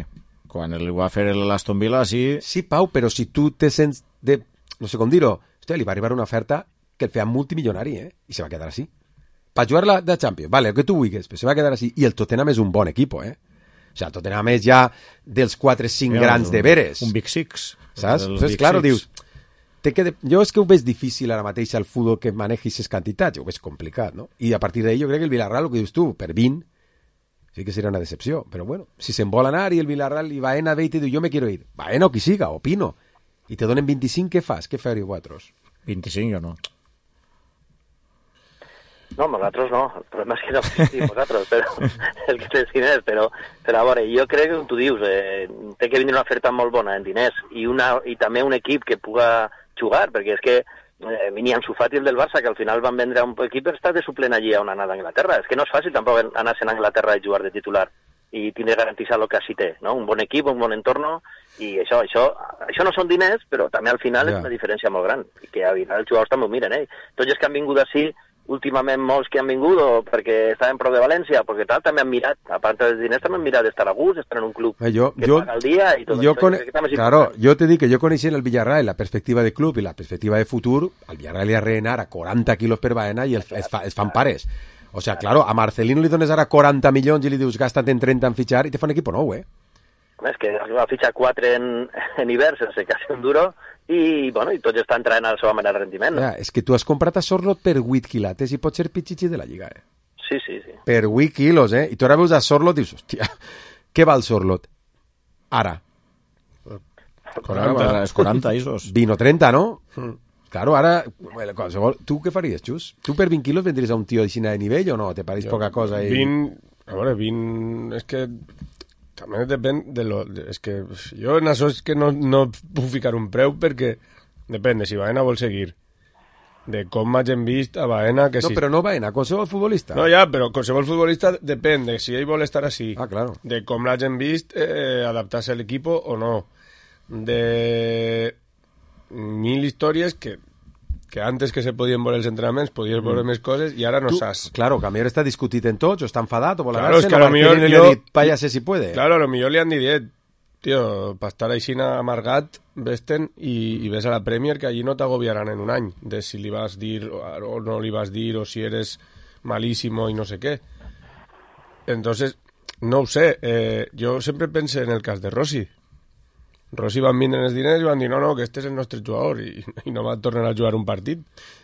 Quan el va fer l'Aston Villa així... Sí, Pau, però si tu te sents de... No sé com dir-ho. Hòstia, li va arribar una oferta que el feia multimilionari, eh? I se va quedar així. Per jugar la de Champions, vale, el que tu vulguis, però se va quedar així. I el Tottenham és un bon equip, eh? O sigui, el Tottenham és ja dels quatre cinc grans un, de veres. Un Big Six. Saps? Entonces, claro, six. Dius... Te quede... Jo és que ho veig difícil ara mateix al futbol que manegis aquestes quantitats, ho veig complicat, no? I a partir d'ahí jo crec que el Villarreal, el que dius tu, per vint, sí que seria una decepció, però bueno, si se'n vol anar i el Villarreal i Baena ve i te diu, jo me quiero ir, Baena o qui siga, opino, i te donen vint-i-cinc, què fas? Què faria vosaltres? vint-i-cinc o no? No, nosaltres no, el problema és que no existim vosaltres, però el que tens diners, però, però a veure, jo crec que tu dius, eh, té que venir una oferta molt bona en diners i, una, i també un equip que puga jugar, perquè és que eh, venia Ansu Fati el del Barça, que al final van vendre un equip per estar de suplent allí a una anada a Anglaterra. És que no és fàcil tampoc anar-se'n a Anglaterra i jugar de titular i tindre garantitzat el que així té, no? Un bon equip, un bon entorn, i això, això, això no són diners, però també al final yeah. és una diferència molt gran, i que al final els jugadors també ho miren, eh? Tots els que han vingut així, últimament molts que han vingut o perquè estaven prou de València, perquè tal, també han mirat, a part dels diners, també han mirat d'estar a gust, d'estar en un club eh, jo, que jo, paga el dia i tot jo això. Con... Claro, jo te dic que jo coneixent el Villarreal, la perspectiva de club i la perspectiva de futur, al Villarreal li ha reinar a quaranta quilos per Baena i el, es, fa, es fan pares. O sea, claro, a Marcelino li dones ara quaranta milions i li dius gasta't en trenta en fitxar i te fa un equip nou, eh? És que va fitxar quatre en, en hivern sense quasi un duro i, bueno, i tots estan traient a la seva manera de rendiment. No? Ja, és que tu has comprat a Sorlot per vuit quilates i pot ser pitxitxi de la Lliga, eh? Sí, sí, sí. Per vuit quilos, eh? I tu ara veus a Sorlot i dius, hòstia, què val Sorlot? Ara. quaranta, és quaranta, isos. vint o trenta, no? Mm. Claro, ara, bueno, qualsevol... Tu què faries, Xus? Tu per vint quilos vendries a un tio de nivell o no? Te pareix poca cosa? I... vint... A veure, vint... És que... També depèn de lo... És que jo en això és que no, no puc ficar un preu perquè depèn de si Baena vol seguir, de com hagin vist a Baena... Que no, si... però no Baena, qualsevol futbolista. No, ja, però qualsevol futbolista depèn de si ell vol estar així, ah, claro. de com l'hagin vist eh, adaptar-se a l'equip o no, de mil històries que que antes que se podien veure els entrenaments podies veure mm. més coses i ara no tu, saps. Claro, que a millor està discutit en tots, o està enfadat, o vol claro, anar-se'n, es que o millor no jo... li ha dit, váyase si puede. Claro, a lo millor li han dit, tio, per estar així amargat, vés-te'n i, i ves a la Premier, que allí no t'agobiaran en un any, de si li vas dir o no li vas dir, o si eres malísimo i no sé què. Entonces, no ho sé, eh, jo sempre pense en el cas de Rossi. Rossi van vindre els diners i van dir no, no, que este és el nostre jugador i, i no va tornar a jugar un partit.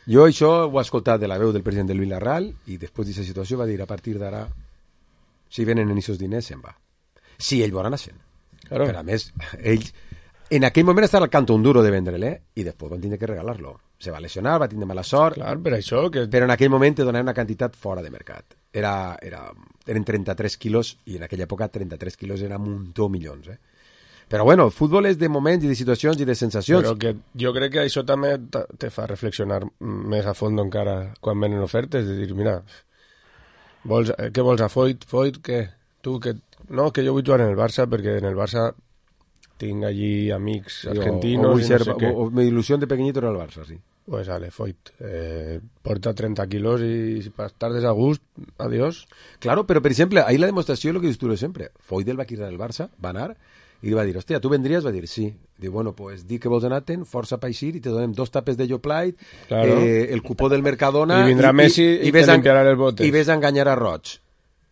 Jo això ho he escoltat de la veu del president del Villarreal i després d'aquesta situació va dir a partir d'ara si venen en aquests diners se'n va. Si ell vol anar se'n. Claro. Però a més, ell en aquell moment estava al canto un duro de vendre-le eh? I després van tindre que regalar-lo. Se va lesionar, va tindre mala sort. Clar, per això que... Però en aquell moment te donaven una quantitat fora de mercat. Era, era, eren trenta-tres quilos i en aquella època trenta-tres quilos era un muntó milions, eh? Però bueno, el futbol és de moments i de situacions i de sensacions. Però que jo crec que això també te fa reflexionar més a fons encara quan venen ofertes, de dir, mira, vols, què vols a Foyt? Foyt, què? Tu, que... No, que jo vull jugar en el Barça perquè en el Barça tinc allí amics argentinos... O, o, i ser, no sé què. o, o mi ilusión de pequeñito era el Barça, sí. Pues vale, Foyt, eh, porta trenta quilos i per estar de gust, adiós. Claro, però per exemple, ahí la demostració és el que dius tu sempre. Foyt del va quitar del Barça, va anar... i li va dir, hòstia, tu vendries? Va dir, sí. Diu, bueno, pues di que vols anar-te'n, força pa eixir, i te donem dos tapes de Yoplait, claro. eh, el cupó del Mercadona... I vindrà i, Messi i, i, i te limpiarà les botes. I ves a enganyar a Roig.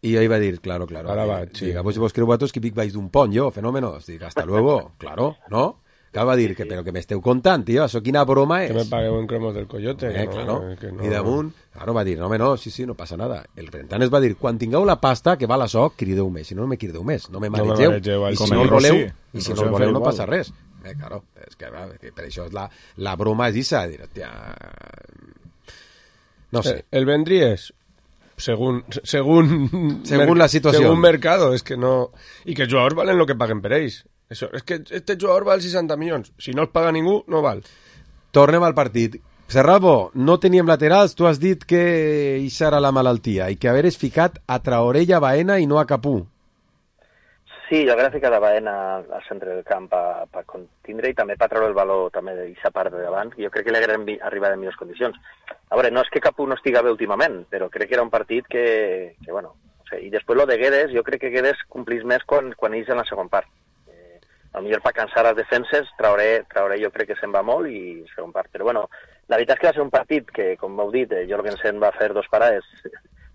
I ell va dir, claro, claro. Ara vaig, sí. Diga, pues si vos creu vosaltres que Vic vais d'un pont, jo, fenómenos. Dic, hasta luego. Claro, ¿no? Claro, va dir, que, però que m'esteu contant, tio, això quina broma és. Que me pagueu en cromos del coyote. Eh, no, claro. Que no... I damunt, claro, va dir, no, home, no, sí, sí, no passa nada. El Rentanes va dir, quan tingueu la pasta que val això, crideu més. Si no, no me crideu més. No me maregeu. No me I si no el voleu, i si no el voleu no passa res. Eh, claro, és que, que per això és la, la broma és issa, dir, tia... No sé. El, el vendries... Según, según, según la situació. Según mercado, és que no... I que els jugadors valen el que paguen per ells. Això, és que este jugador val seixanta milions. Si no els paga ningú, no val. Tornem al partit. Serralbo, no teníem laterals, tu has dit que això era la malaltia i que haveres ficat a Traorella, Baena i no a Capú. Sí, jo hauria ficat a Baena al centre del camp per contindre i també per treure el valor també d'aquesta part de davant. Jo crec que li haguem arribat en millors condicions. A veure, no és que Capú no estiga bé últimament, però crec que era un partit que, que bueno, no sé. I després lo de Guedes, jo crec que Guedes complís més quan, quan ells en la segona part. Eh, potser per cansar les defenses, trauré, trauré jo crec que se'n va molt i segon part. Però bueno, la veritat és que va ser un partit que, com heu dit, eh, Jorgensen va fer dos parades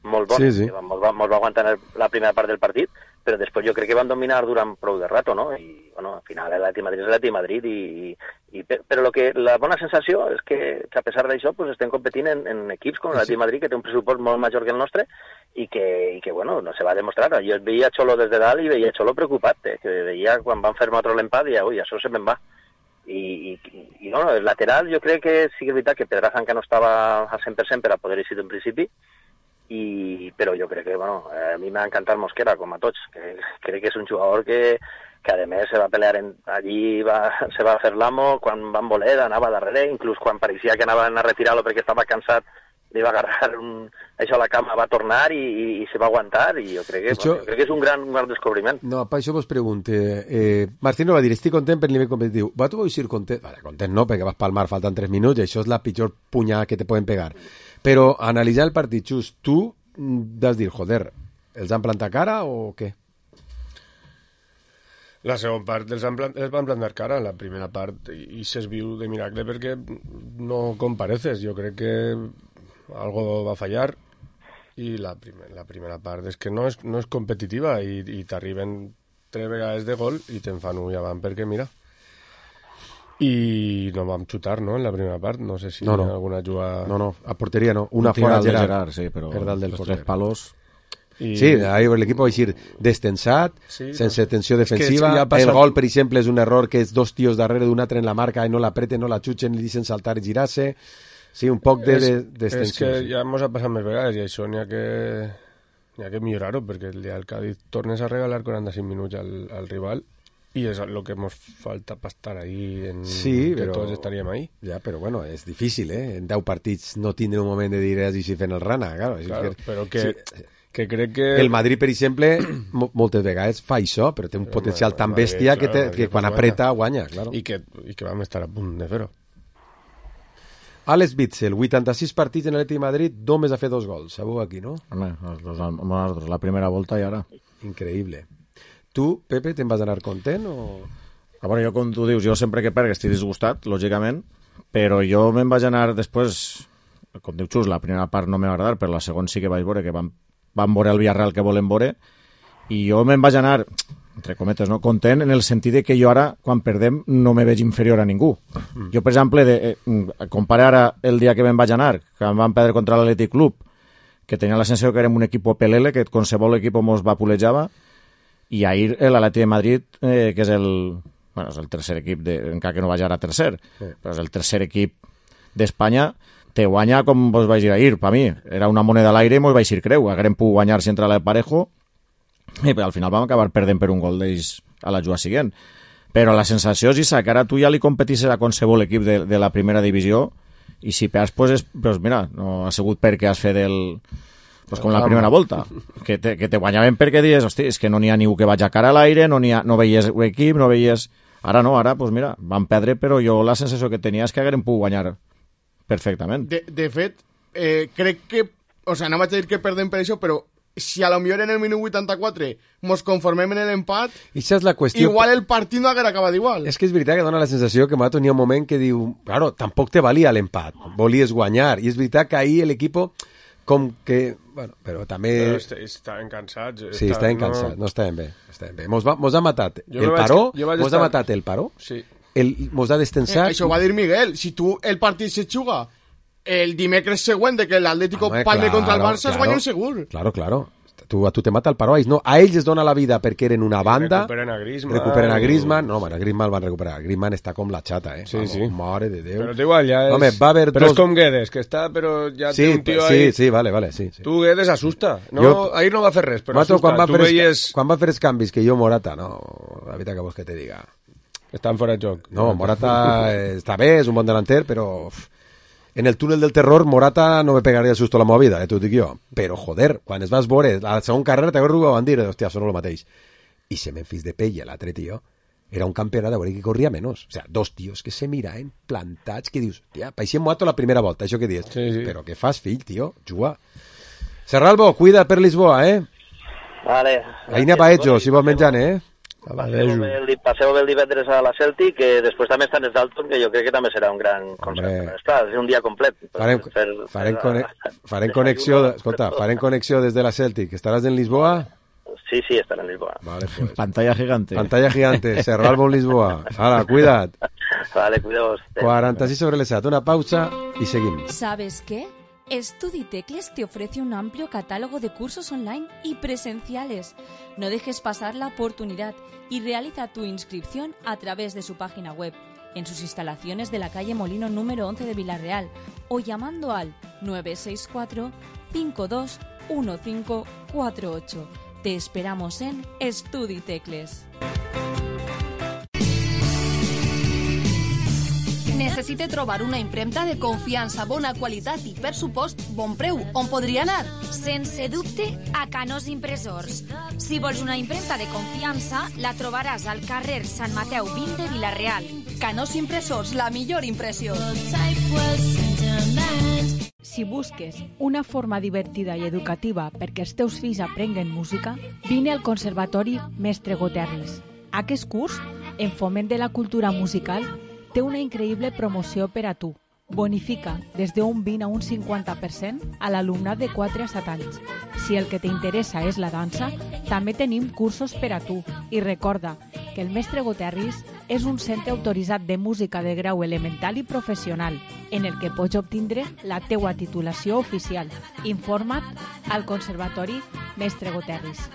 molt bones, sí, sí. que molt va, molt va aguantar el, la primera part del partit, però després jo crec que van dominar durant prou de rato, no? I, bueno, al final l'Atleti Madrid és l'Atleti Madrid, i, i, però lo que, la bona sensació és que, que a pesar d'això pues, estem competint en, en equips com l'Atleti Madrid, que té un pressupost molt major que el nostre, i que, i que bueno, no se va demostrar. Jo veia Xolo des de dalt i veia Xolo preocupat, eh? Que veia quan van fer otro l'empat, i ui, això se me'n va. I, i, i no, el lateral jo crec que sí que és veritat que Pedraza encara no estava al cent per cent per a poder eixir en principi, i, però jo crec que, bueno, a mi m'ha encantat Mosquera, com a tots, que crec que és un jugador que, que a més se va pelear en, allí, va, se va fer l'amo, quan van voler anava darrere, inclús quan pareixia que anaven a retirar-lo perquè estava cansat, li va agarrar un, això a la cama, va tornar i, i, i se va aguantar, i jo crec que, això... bueno, jo crec que és un gran, un gran descobriment. No, per això vos pregunte, eh, Martino va dir, estic content per nivell competitiu. Va tu vols ir content? Vale, content no, perquè vas palmar, falten tres minuts, i això és la pitjor punyada que te poden pegar. Però analitzar el partit just, tu has dir, joder, els han plantat cara o què? La segona part els, han plant, els van plantar cara, la primera part, i s'es viu de miracle perquè no compareces. Jo crec que algo va fallar i la, primer, la primera part és que no és, no és competitiva i, i t'arriben tres vegades de gol i te'n fan un i avant perquè mira, i no vam xutar, no?, en la primera part, no sé si no, no. alguna jugada... No, no, a porteria no, una un fora Gerard, Gerard, sí, però per dalt del los porter. Tres palos... I... Sí, ahí l'equip va eixir destensat, sí, sense tensió defensiva, ja passat... el gol, per exemple, és un error que és dos tios darrere d'un altre en la marca i no l'apreten, no la xutxen, li deixen saltar i girar-se. Sí, un poc de, de, d'extensió. És que sí. ja ens ha passat més vegades i això n'hi ha que, n'hi ha que millorar-ho, perquè el dia del Cádiz tornes a regalar quaranta-cinc minuts al, al rival i és el que ens falta per estar ahí, en, sí, que però, tots estaríem ahí. Ja, però bueno, és difícil, eh? En deu partits no tindre un moment de dir és així fent el rana, claro. Claro, que, però que... Sí, que crec que... El Madrid, per exemple, moltes vegades fa això, però té un però potencial no, tan Madrid, bèstia claro, que, te, que quan apreta guanya, claro. I que, i que vam estar a punt de fer-ho. Alex Witzel, vuitanta-sis partits en l'Atlètic de Madrid, només ha fet dos gols. Sabeu aquí, no? Home, nosaltres, la primera volta i ara. Increïble. Tu, Pepe, te'n vas anar content o...? A veure, jo, com tu dius, jo sempre que perc estic disgustat, lògicament, però jo me'n vaig anar després, com diu Xus, la primera part no m'ha agradat, però la segona sí que vaig veure que vam van veure el Villarreal que volen veure, i jo me'n vaig anar, entre cometes, no, content en el sentit de que jo ara, quan perdem, no me veig inferior a ningú. Mm. Jo, per exemple, de, eh, compare ara el dia que me'n vaig anar, que em van perdre contra l'Atlètic Club, que tenia la sensació que érem un equip pelele, que qualsevol equip mos vapulejava, i ahir l'Atlètic de Madrid, eh, que és el, bueno, és el tercer equip, de, encara que no vaig ara tercer, sí. però és el tercer equip d'Espanya, te guanya com vos vaig dir ahir, per mi. Era una moneda a l'aire i mos vaig dir creu. Haguem pogut guanyar si entra la de Parejo i al final vam acabar perdent per un gol d'ells a la jugada següent. Però la sensació és que ara tu ja li competisses a qualsevol equip de, de la primera divisió i si perds, pues, és, pues mira, no ha sigut perquè has fet el... Pues com la primera volta, que te, que te guanyaven perquè dius, hosti, és que no n'hi ha ningú que vaig a cara a l'aire, no, ha, no veies equip, no veies... Ara no, ara, pues mira, van perdre, però jo la sensació que tenia és que haguem pogut guanyar perfectament. De, de fet, eh, crec que... O sea, no vaig a dir que perdem per això, però si a lo millor en el minut vuitanta-quatre mos conformem en l'empat, és la qüestió... igual el partit no haguera acabat igual. És que és veritat que dona la sensació que Mato n'hi ha un moment que diu, claro, tampoc te valia l'empat, volies guanyar, i és veritat que ahir l'equip com que... Bueno, però també... Però est estaven cansats. Sí, estaven no... cansats, no estaven bé. Estaven bé. Mos, va, mos ha matat jo el paró, que, mos estar... ha matat el paró, sí. el, mos ha destensat... Eh, això ho va dir Miguel, si tu el partit se juga el dimecres següent de que l'Atlético palme claro, contra el Barça claro, es guanya un segur. Claro, claro. Tu, a tu te mata el paró. No, a ells es dona la vida perquè eren una banda. Recuperen a Griezmann. Recuperen a Griezmann. No, bueno, a Griezmann el van recuperar. Griezmann està com la xata, eh? Sí, Vamos, sí. Mare de Déu. Però igual, ja és... Home, va haver però dos... és com Guedes, que està, però ja sí, té un tio sí, ahí... Sí, sí, vale, vale, sí. sí. Tu, Guedes, asusta. No, jo... ahir no va fer res, però Mato, asusta. Quan va, tu fer veies... quan va fer els canvis, que jo Morata, no, la veritat que vols que te diga... Estan fora de joc. No, Morata està bé, és un bon delanter, però... en el túnel del terror Morata no me pegaria el susto a la meva vida, eh, t'ho dic jo. Però, joder, quan es vas veure a la segona carrera t'agarro a van dir, hòstia, són el mateix. I se Memphis Depay, l'altre tio, era un campionat de veure que corria menys. O sea, dos tios que se miraven plantats, que dius, tia, paixem muato la primera volta, això que dius. Sí, sí. Però què fas, fill, tio? Juga. Serralbo, cuida per Lisboa, eh? Vale. Aina Paejo, si vols menjant, eh? Passeu bé, el, passeu bé el divendres a la Celtic, que després també estan els Dalton, que jo crec que també serà un gran concert. Està, és un dia complet. Farem, fer, farem, fer, cone farem connexió, escolta, farem connexió des de la Celtic. Estaràs en Lisboa? Sí, sí, estaré en Lisboa. Vale, pues. Pantalla gigante. Pantalla gigante, Serralbo en Lisboa. Hala, cuida't. Vale, cuidaos. cuarenta y seis sobre el S A T, una pausa y seguimos. ¿Sabes qué? StudyTecles te ofrece un amplio catálogo de cursos online y presenciales. No dejes pasar la oportunidad y realiza tu inscripción a través de su página web, en sus instalaciones de la calle Molino número once de Villarreal o llamando al nueve seis cuatro, cinco dos uno cinco cuatro ocho. Te esperamos en StudyTecles. Necessite trobar una impremta de confiança, bona qualitat i, per supost, bon preu. On podria anar? Sense dubte, a Canós Impressors. Si vols una impremta de confiança, la trobaràs al carrer Sant Mateu vint de Vila-real. Canós Impressors, la millor impressió. Si busques una forma divertida i educativa perquè els teus fills aprenguen música, vine al Conservatori Mestre Goterris. Aquest curs, en foment de la cultura musical, té una increïble promoció per a tu. Bonifica des d'un vint a un cinquanta per cent a l'alumnat de quatre a set anys. Si el que t'interessa és la dansa, també tenim cursos per a tu. I recorda que el Mestre Goterris és un centre autoritzat de música de grau elemental i professional, en el que pots obtindre la teua titulació oficial. Informa't al Conservatori Mestre Goterris.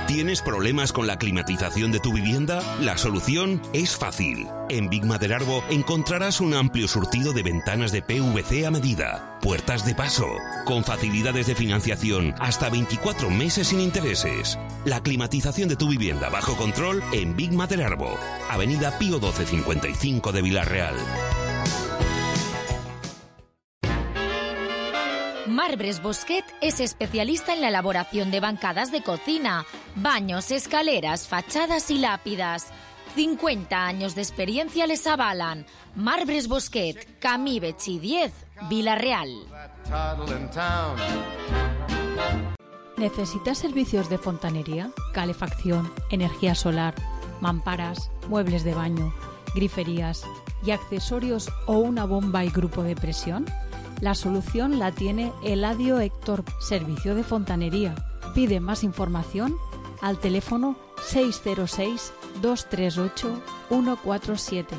¿Tienes problemas con la climatización de tu vivienda? La solución es fácil. En Big Maderarbo encontrarás un amplio surtido de ventanas de P V C a medida, puertas de paso, con facilidades de financiación hasta veinticuatro meses sin intereses. La climatización de tu vivienda bajo control en Big Maderarbo, Avenida Pío doce cincuenta y cinco de Villarreal. Marbres Bosquet es especialista en la elaboración de bancadas de cocina, baños, escaleras, fachadas y lápidas. cincuenta años de experiencia les avalan. Marbres Bosquet, Camí Betxí diez, Vila-real. ¿Necesitas servicios de fontanería, calefacción, energía solar, mamparas, muebles de baño, griferías y accesorios o una bomba y grupo de presión? La solución la tiene Eladio Héctor, Servicio de Fontanería. Pide más información al teléfono seis cero seis, dos tres ocho, uno cuatro siete.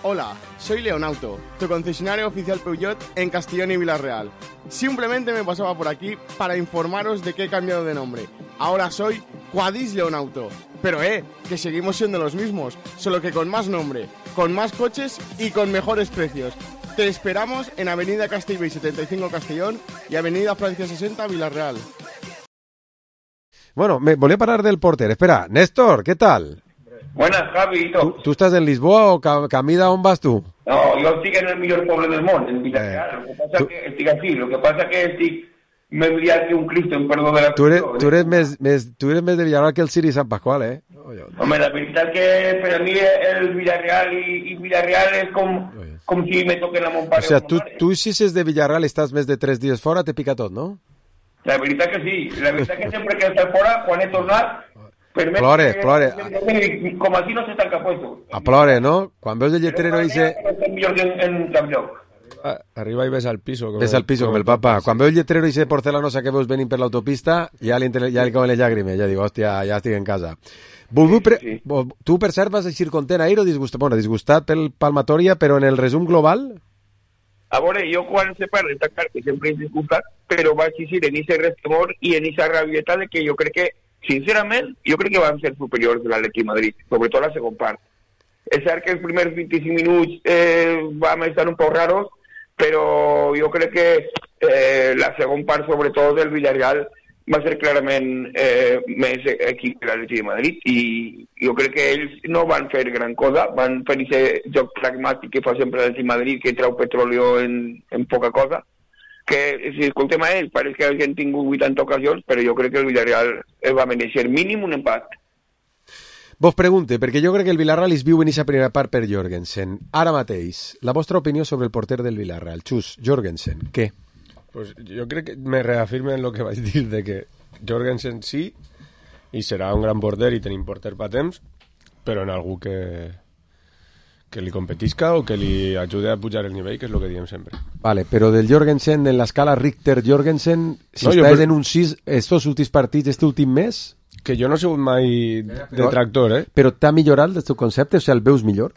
Hola, soy Leonauto, tu concesionario oficial Peugeot en Castellón y Villarreal. Simplemente me pasaba por aquí para informaros de que he cambiado de nombre. Ahora soy Quadis Leonauto. Pero eh, que seguimos siendo los mismos, solo que con más nombre, con más coches y con mejores precios. Te esperamos en Avenida Castellbell setenta y cinco Castellón y Avenida Francia sesenta Villarreal. Bueno, me volví a parar del porter. Espera, Néstor, ¿qué tal? Buenas, Javi. ¿Tú, ¿Tú estás en Lisboa o Camida, on vas tú? No, yo estoy en el mejor pueblo del mundo, en Villarreal. Eh, lo que pasa es que estoy así, lo que pasa es que estoy me enviar que un Cristo en perdón de la tú eres, tú eres més, més, tú eres més de Villarreal que el Siri San Pascual, eh? Hombre, la verdad que para mí el Villarreal y, y Villarreal es como, como si me toquen la Montpare. O sea, tú, tú si és de Villarreal i estàs més de tres dies fora, te pica tot, no? La veritat que sí. La veritat que sempre que estar fora, quan he tornat, plore, que, plore. Com aquí no se tanca puesto. A plore, no? Quan veus el lletrero dice... En, en cap lloc. Ah, arriba i ves al piso. Ves al piso com el papa. Quan veu el lletrero dice porcelanosa que veus venint per l'autopista, ja li, ja li comen les llàgrimes. Ja dic, hòstia, ja estic en casa. Sí, pre... sí. Tu, per cert, vas eixir content a ir o disgustat? Bueno, disgustat pel Palmatoria, però en el resum global... A veure, jo quan se parla està clar que sempre és disgustat, però vaig eixir en ese restemor i en esa rabieta de que jo crec que, sincerament, jo crec que van ser superiors de l'Atlètic Madrid, sobretot la segona part. És cert que els primers vint-i-cinc minuts eh, vam estar un poc raros, però jo crec que eh, la segona part, sobretot del Villarreal, va ser clarament eh, més equip que l'Atlètic de Madrid i jo crec que ells no van fer gran cosa, van fer aquest joc pragmàtic que fa sempre l'Atlètic de Madrid, que treu petróleo en, en poca cosa, que si escoltem a ells pareix que hagin tingut vuitanta ocasions, però jo crec que el Villarreal va mereixer mínim un empat. Vos pregunte, perquè jo crec que el Villarreal es viu en aquesta primera part per Jorgensen. Ara mateix, la vostra opinió sobre el porter del Villarreal. Xus, Jorgensen, què? Pues jo crec que me reafirme en el que vaig dir, de que Jorgensen sí, i serà un gran porter i tenim porter pa temps, però en algú que, que li competisca o que li ajude a pujar el nivell, que és el que diem sempre. Vale, però del Jorgensen, en l'escala Richter-Jorgensen, si no, estàs per... en un sis, estos últims partits, este últim mes... Que jo no he sigut mai detractor, eh? Però t'ha millorat el teu concepte? O sigui, el veus millor?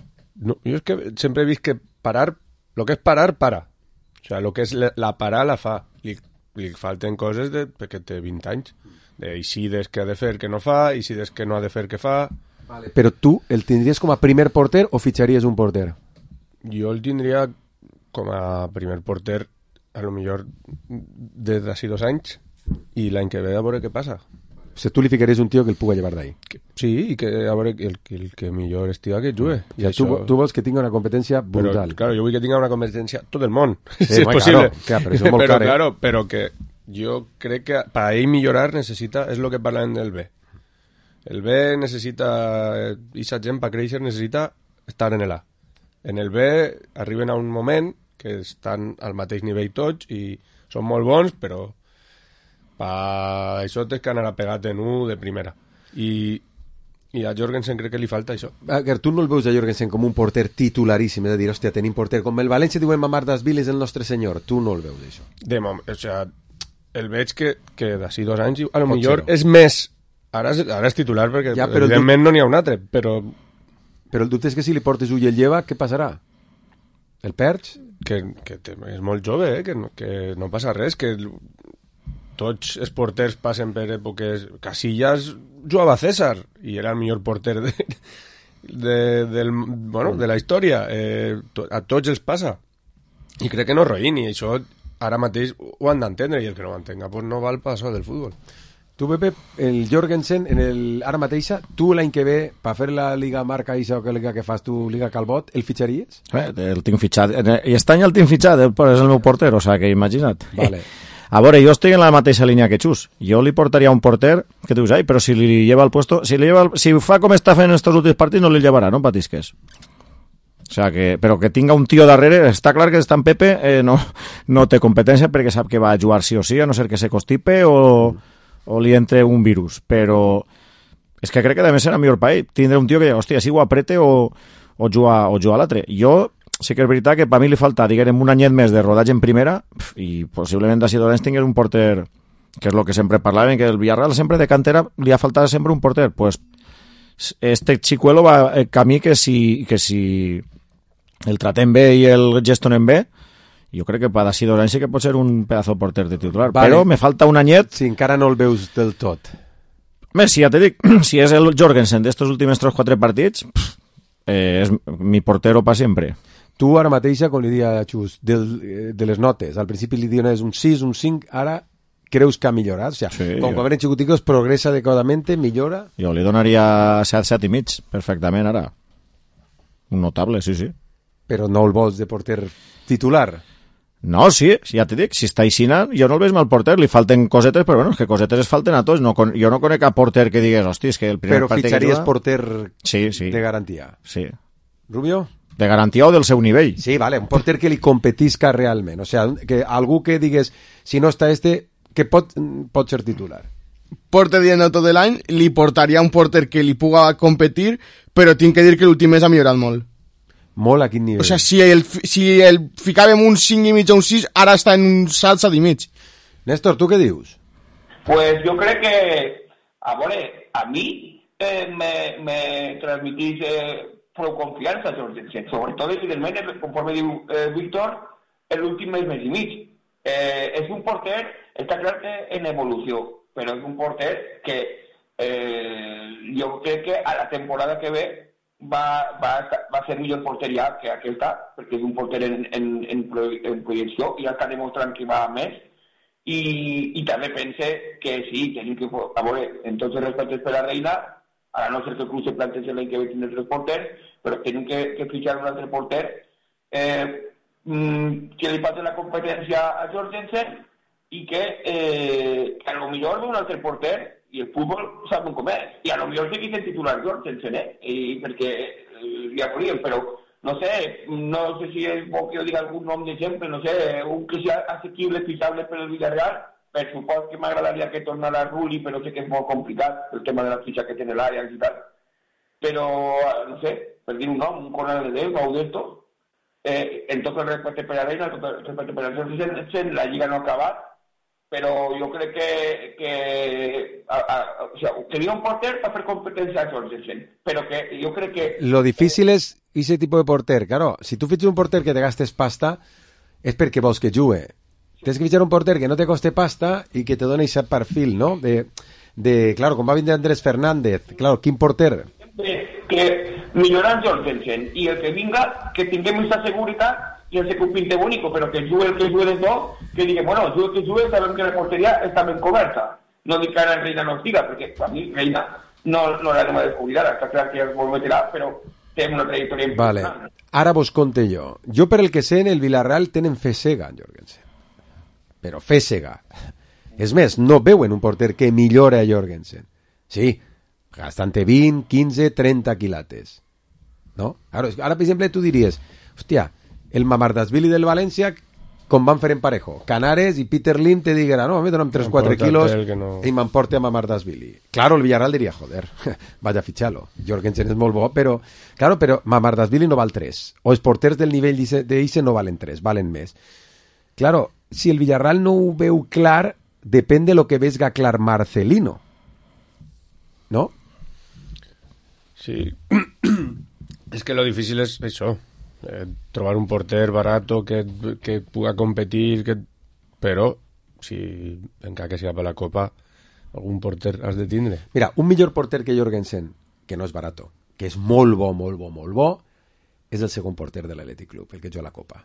No, jo és que sempre he vist que parar, el que és parar, para. O sigui, el que és la parar, la fa. Li, li falten coses de, perquè té vint anys. De Isides que ha de fer que no fa, Isides que no ha de fer que fa... Vale. Però tu el tindries com a primer porter o fitxaries un porter? Jo el tindria com a primer porter a lo millor des d'ací dos anys i l'any que ve a veure què passa. O sigui, tu li ficaries un tio que el puga llevar d'ahí. Sí, i que a veure el, el que millor estiga que jugui. I o sigui, tu, tu vols que tinga una competència brutal. Però, claro, jo vull que tinga una competència tot el món, sí, si és bueno, possible. Claro, clar, però això és molt però, car, eh? claro, però que jo crec que per a ell millorar necessita, és el que parlem del B. El B necessita, i sa gent per créixer necessita estar en el A. En el B arriben a un moment que estan al mateix nivell tots i són molt bons, però per això tens que anar a pegat en un de primera. I, i a Jorgensen crec que li falta això. Que tu no el veus a Jorgensen com un porter titularíssim, és a dir, hòstia, tenim porter com el València diuen mamar das viles el nostre senyor. Tu no el veus, això. De moment, o sea, el veig que, que d'ací dos anys a lo Pot millor és més... Ara és, ara és titular perquè ja, evidentment du... no n'hi ha un altre, però... Però el dubte és que si li portes ull i el lleva, què passarà? El perds? Que, que té, és molt jove, eh? que, no, que no passa res, que... Tots els porters passen per èpoques... Casillas jugava a César i era el millor porter de, de, del, bueno, de la història. Eh, to, a tots els passa. I crec que no roïn, i això ara mateix ho han d'entendre, i el que no ho entenga pues no val pas del futbol. Tu, Pepe, el Jorgensen, en el, ara mateixa, tu l'any que ve, per fer la Liga Marca i això que liga que fas tu, Liga Calbot, el fitxaries? Eh, el tinc fitxat. I aquest any el tinc fitxat, és el meu porter, o sigui que imagina't. Vale. A veure, jo estic en la mateixa línia que Xus. Jo li portaria un porter que dius, ai, però si li lleva el puesto, si, li lleva el, si fa com està fent en estos últims partits, no li llevarà, no patisques. O sea que, però que tinga un tio darrere, està clar que està en Pepe, eh, no, no té competència perquè sap que va a jugar sí o sí, a no ser que se constipe o, o li entre un virus. Però és que crec que també serà millor per ell. Tindre un tio que, hòstia, si ho aprete o, o juga, o juga a l'altre. Jo... Sí que és veritat que per mi li falta, diguem, un anyet més de rodatge en primera i possiblement d'ací dos anys tingués un porter, que és el que sempre parlaven, que el Villarreal sempre de cantera li ha faltat sempre un porter. Pues este Chicuelo va el camí que si, que si el tratem bé i el gestionen bé, jo crec que per d'ací dos anys sí que pot ser un pedazo de porter de titular. Vale. Però me falta un anyet... Si encara no el veus del tot. Més, si ja te dic, si és el Jorgensen d'estos últims tres o quatre partits, eh, és mi portero per sempre. Tu ara mateixa, com li dia a Xus, del, de les notes, al principi li diuen un sis, un cinc, ara creus que ha millorat? O sigui, sí, com quan eren xicoticos, progressa adequadamente, millora? Jo li donaria set, set i mig, perfectament, ara. Un notable, sí, sí. Però no el vols de porter titular? No, sí, ja t'he dit, si està aixina, jo no el veig mal porter, li falten cosetes, però bueno, és que cosetes es falten a tots. No, jo no conec cap porter que digués, hosti, és que el primer però partit que fitxaries juga... porter sí, sí. de garantia? Sí. Rubio? De garantia o del seu nivell. Sí, vale, un porter que li competisca realment. O sigui, que algú que digués, si no està este, que pot, pot ser titular. Porter dient tot de l'any, li portaria un porter que li puga competir, però tinc que dir que l'últim mes ha millorat molt. Molt a quin nivell? O sigui, si el, si el ficàvem un cinc i mig o un sis, ara està en un salt set i mig. Néstor, tu què dius? Pues jo crec que, a veure, a mi eh, me, me transmitís... Eh, prou confiança, sobretot, evidentment, conforme diu eh, Víctor, l'últim mes, mes i mig. Eh, és un porter, està clar que en evolució, però és un porter que eh, jo crec que a la temporada que ve va, va, va ser millor porteria que aquesta, perquè és un porter en, en, en, pro, en projecció i ja està demostrant que va més i, i també pense que sí, tenim que, a veure, en tots els respectes per la Reina, a no ser que el club se plantegi l'any que ve tindre tres porters, però tenim que, que fitxar un altre porter eh, que li passi la competència a Jorgensen i que, eh, que a lo millor un altre porter i el futbol saben com és, i a lo millor seguís el titular Jorgensen, eh? I perquè eh, ja volíem, però no sé, no sé si és bo que jo diga algun nom d'exemple, no sé, un que sigui assequible, fixable per el Villarreal, per supòs que m'agradaria que tornara a Rulli, però sé que és molt complicat, el tema de la fitxa que té en l'àrea i tal. Però, no sé, per dir un nom, un Conrad de Déu, o d'esto, eh, en tot el respecte per a Reina, en tot el respecte per a Jorgensen, la Lliga no ha acabat, però jo crec que, que a, a, o sea, quería un porter para hacer competencia a Jorgensen, pero que yo creo que... Lo difícil es ese tipo de porter, claro, si tú fichas un porter que te gastes pasta, es porque vols que jugue. Tienes que fichar un porter que no te coste pasta y que te done ese perfil, ¿no? De, de claro, com va vindre Andrés Fernández, claro, quin porter? Que, que milloran Jorgensen y el que venga, que tengamos esa seguridad y el que pinte bonito, pero que juegue el que juegue de dos, que diga, bueno, juegue que juegue, sabemos que la portería está bien coberta. No diga que la Reina nos diga, porque a mí Reina no, no la tengo de descubrir, está claro que vol meterà, però té una trajectòria important. Vale, ara vos conte jo. Jo per el que sé, en el Villarreal tenen fe cega en Jorgensen. Però fe cega. És més, no veuen un porter que millore a Jorgensen. Sí, gastant-te vint, quinze, trenta quilates. No? Ara, ara, per exemple, tu diries, hòstia, el Mamardashvili del València, com van fer en Parejo. Canares i Peter Lim te diguera, no, me donen tres o quatre quilos no... i m'emporte a Mamardashvili. Claro, el Villarreal diria, joder, vaya a ficharlo. Jorgensen és molt bo, però, claro, però Mamardashvili no val tres. O els porters del nivell d'Ixe no valen tres, valen més. Claro, si el Villarreal no ho veu clar, depèn de lo que vesga clar Marcelino. ¿No? Sí. Es que lo difícil es eso. Eh, trobar un porter barato que, que puga competir que... però si encara que siga per la Copa algun porter has de tindre. Mira, un millor porter que Jorgensen, que no és barato, que és molt bo, molt bo, molt bo, és el segon porter de l'Athletic Club, el que juga a la Copa.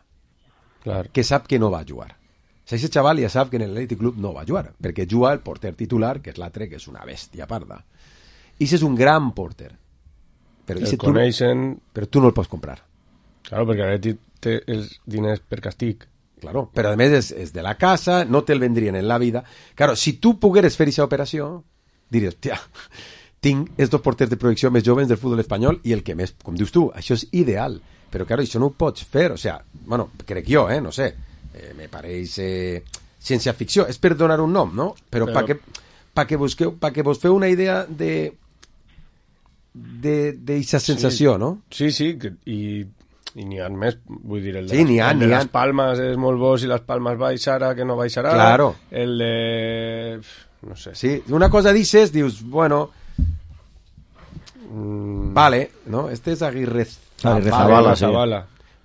Clar. Que sap que no va jugar. O sigui, ese xaval ja sap que en l'Athletic Club no va jugar, perquè juga el porter titular, que és l'altre, que és una bèstia parda. I ese és un gran porter. Però, el coneixen... tu, però tu no el pots comprar. Claro, perquè ara té els diners per castig. Claro, però a més és, és de la casa, no te'l vendrien en la vida. Claro, si tu pogueres fer aquesta operació, diries, tia, tinc els dos porters de projecció més joves del futbol espanyol i el que més, com dius tu, això és ideal. Però, claro, això no ho pots fer. O sea, bueno, crec jo, eh, no sé, eh, me pareix eh, ciència ficció. És per donar un nom, no? Però, però... perquè pa que, busqueu, pa que vos feu una idea de d'aquesta sensació, sí. No? Sí, sí, que, i... i n'hi ha més, vull dir, el de, sí, les, ha, el de les Palmes és molt bo, si les Palmes baixarà, que no baixarà. Claro. El de... no sé. Sí, una cosa dices, dius, bueno, mm. vale, ¿no? Este es Aguirre Zabala, sí.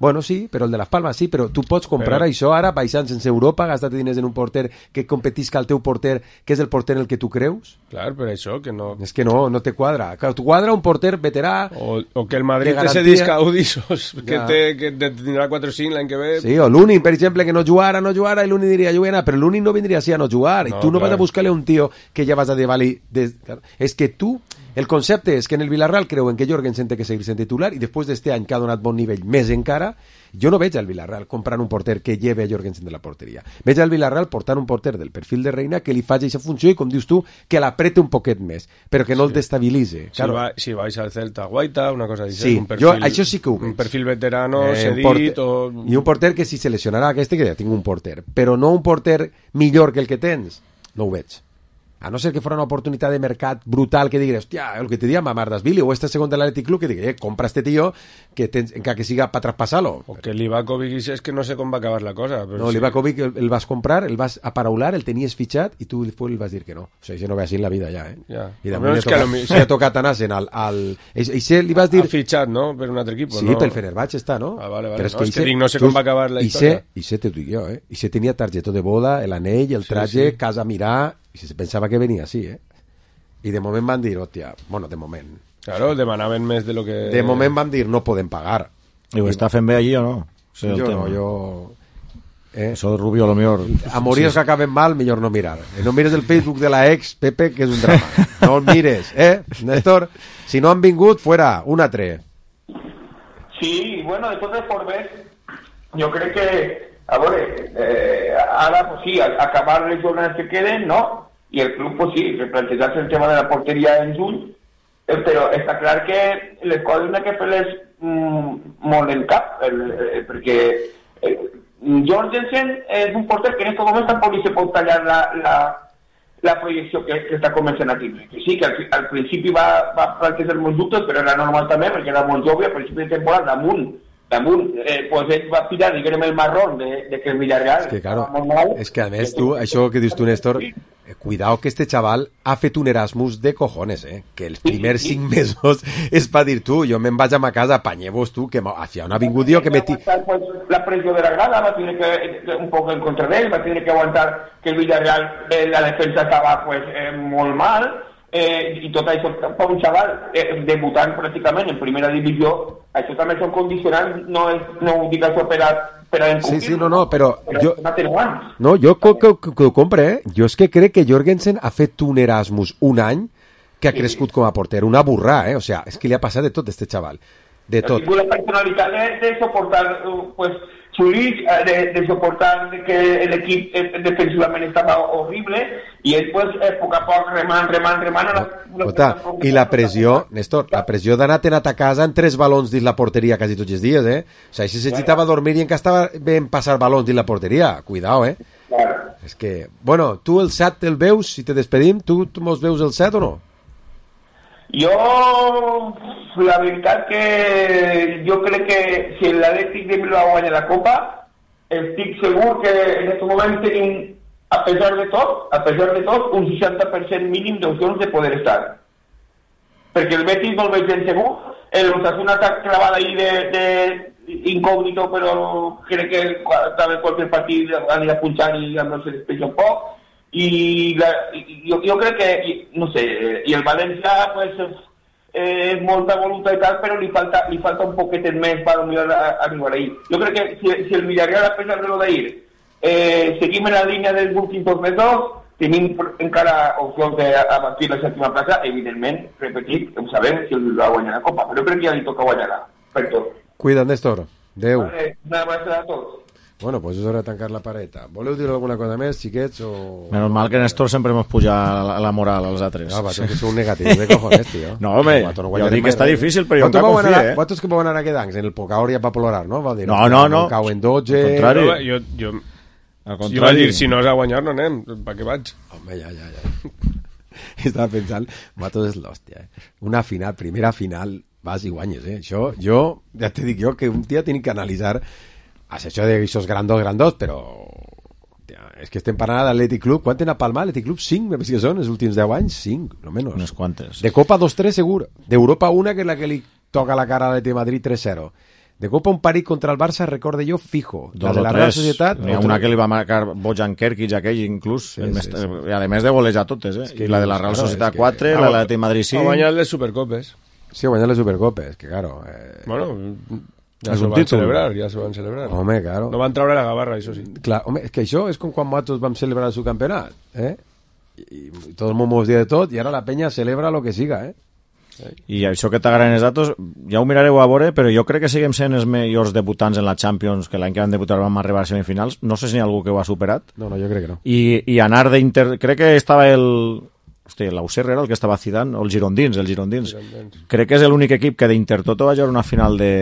Bueno, sí, però el de les Palmes sí, però tu pots comprar però... això ara, baixant sense Europa, gastar diners en un porter que competisca el teu porter, que és el porter en el que tu creus? Clar, per això que no... És que no, no te quadra. Clar, tu quadra un porter veterà... O, o que el Madrid té ese disc Audisos, que, ja. té, que tindrà quatre o cinc l'any que ve... Sí, o l'Unin, per exemple, que no jugara, no jugara, i l'Unin diria, jo vull anar, però l'Unin no vindria així a no jugar, no, i tu no clar. Vas a buscar-li un tio que ja vas a dir-li... De... És que tu... El concepte és que en el Villarreal creuen que Jorgensen té que seguir sent titular i després d'este any que ha donat bon nivell més encara, jo no veig al Villarreal comprant un porter que lleve a Jorgensen de la porteria. Veig al Villarreal portant un porter del perfil de Reina que li faci aquesta funció i, com dius tu, que l'aprete un poquet més, però que no sí. el destabilitze. Si, claro. va, si vais al Celta, Guaita, una cosa així. Sí, un perfil, jo això sí que ho veig. Un perfil veterano, eh, cedit... Porter, o... I un porter que si se lesionarà aquest, que ja tinc un porter, però no un porter millor que el que tens, no ho veig. A no ser que fora una oportunitat de mercat brutal que digués, hòstia, el que te diria Mamardashvili o este segon de l'Athletic Club, que digués, eh, compra este tío que, tens, encara que siga para traspasar-lo. O que l'Ivakovic és que no sé com va acabar la cosa. Però no, sí. l'Ivakovic el, el vas comprar, el vas aparaular, el tenies fitxat i tu després el vas dir que no. O sigui, això no ve així en la vida ja, eh? Ja. I de moment ha tocat, mi... sí. tocat anar-se'n al... al... I, i li vas dir... Ha fitxat, no?, per un altre equip, sí, no? Sí, pel Fenerbahce està, no? Ah, vale, vale. Però és no, que, és que dic, no sé com va acabar la història. I sé, t'ho dic jo, eh? I sé tenia targetó de boda, l'anell, el traje, sí, sí. casa a mirar, i se pensava que venia així, eh? I de moment van dir, hòstia, bueno, de moment. Claro, demanaven més de lo que... De moment van dir, no podem pagar. I ho està fent bé allí o no? Sí, jo tema. no, jo... Eh? Eso de Rubio, lo mejor... Amoríos sí. que acaben mal, mejor no mirar. Eh, no mires el Facebook de la ex, Pepe, que és un drama. No el mires, eh, Néstor? Si no han vingut, fuera, un a tres. Sí, bueno, de totes formes, jo crec que, a veure, eh, ara, pues sí, acabar les jornades que queden, ¿no? I el club, pues sí, replantejar-se el tema de la porteria en juny, eh, però està clar que les coses n'hi ha que fer-les mm, molt en cap, el, eh, perquè eh, Jorgensen és un porter que en aquest moment tampoc li se pot tallar la, la, la projecció que, que està començant a tindre. Que sí, que al, al principi va, va plantejar molts dubtes, però era normal també, perquè era molt jove, al principi de temporada, damunt, damunt, eh, pues ell va pillar, diguem, el marrón de, de que el Villarreal... És que, claro, és que a més tu, això que dius tu, Néstor, eh, cuidao que este chaval ha fet un Erasmus de cojones, eh? Que els primers cinc mesos és per dir tu, jo me'n vaig a ma casa, apanyeu-vos tu, que hacia on ha vingut jo, que meti... Pues, la pressió de la grada va tenir que, un poc en contra d'ell, va tenir que aguantar que el Villarreal, eh, la defensa estava pues, eh, molt mal, eh, i tot això per un xaval eh, debutant pràcticament en primera divisió, això també són condicionants, no, és, no ho dic això per a, per a sí, sí, no, no, però, però jo, no, jo que, que, que ho compre, eh? Jo és que crec que Jorgensen ha fet un Erasmus un any que ha crescut com a porter, una burrà, eh? O sea, és que li ha passat de tot, este xaval, de tot. La personalitat de, de soportar, pues, Zurich, de, de soportar de que l'equip defensivament estava horrible, i ell, pues, a poc a poc, remant, remant, remant... No, Ota, i la pressió, Néstor, la pressió d'anar a ta casa en tres balons dins la porteria quasi tots els dies, eh? O sigui, si s'agitava a dormir i encara estava ben passar balons dins la porteria, cuidao, eh? Claro. És que, bueno, tu el set el veus, si te despedim, tu, tu mos veus el set o no? Jo, la veritat que jo crec que si l'Atlètic de Bilbao guanya la Copa, estic segur que en aquest moment tenim, a pesar de tot, a pesar de tot, un seixanta per cent mínim d'opcions de poder estar. Perquè el Betis no el veig ben segur, el Osasuna està clavat ahí de, de incògnito, però crec que també qualsevol partit anirà punxant i no se despeja un poc. I la, jo, jo crec que, no sé, i el València pues, és eh, molta voluntat i tal, però li falta, li falta un poquetet més per arribar ahí. Jo crec que si, si el Villarreal, a pesar de lo d'ahir, eh, seguim en la línia dels últims dos mesos, tenim encara opcions d'avançar la sèptima plaça, evidentment, repetit, ho sabem si el va guanyar la Copa, però crec que ja li toca guanyar-la, per tot. Cuida't, Néstor. Adéu. Vale, una abraçada a tots. Bueno, pues és hora de tancar la pareta. Voleu dir alguna cosa més, xiquets? O... Menos mal que Néstor sempre mos puja la, la moral als altres. No, vatos que sou negatius de cojones, tío. No, home, no jo dic que està difícil, però jo encara confio, eh? Vosaltres que vau anar a quedar en el Pocaor ja va plorar, no? Va dir, no, no, no. Cau en dotze... Al contrari. Jo, jo, Al contrari. Jo vaig dir, si no és a guanyar, no anem. Per què vaig? Home, ja, ja, ja. Estava pensant, vosaltres és l'hòstia, eh? Una final, primera final, vas i guanyes, eh? Això, jo, ja te dic jo, que un dia tinc que analitzar has hecho de esos grandos, grandos, però tia, és que estem parlant d'Atlètic Club. Quant tenen a Palma? Atlètic Club? cinc, me penso que són, els últims deu anys? cinc, no menys. Unes quantes. De Copa dos tres, segur. D'Europa una, que és la que li toca la cara a l'Atlètic Madrid tres zero. De Copa un parit contra el Barça, recorde jo, fijo. Dos la de la Real Societat... N'hi ha una que li va marcar Bojan Kerkic, aquell, inclús, sí, sí, sí. I a més de golejar totes, eh? És que, I la de la Real Societat claro, quatre, que... la de l'Atlètic Madrid cinc... A guanyar les Supercopes. Sí, a guanyar les Supercopes, que claro... Eh... Bueno... Ja s'ho van celebrar, ja s'ho van celebrar. Home, claro. No van treure la gavarra, això sí. Clar, home, és que això és com quan nosaltres vam celebrar el subcampionat, eh? I, i tot el món mos dia de tot, i ara la penya celebra lo que siga, eh? I això que t'agraden els datos, ja ho mirareu a veure, però jo crec que seguim sent els millors debutants en la Champions, que l'any que van debutar vam arribar a semifinals. No sé si hi ha algú que ho ha superat. No, no, jo crec que no. I, i anar d'Inter... Crec que estava el... Hosti, l'Auxerre era el que estava Zidane, o els Girondins, els Girondins. Girondins. Crec que és l'únic equip que d'Intertoto va jugar una final de...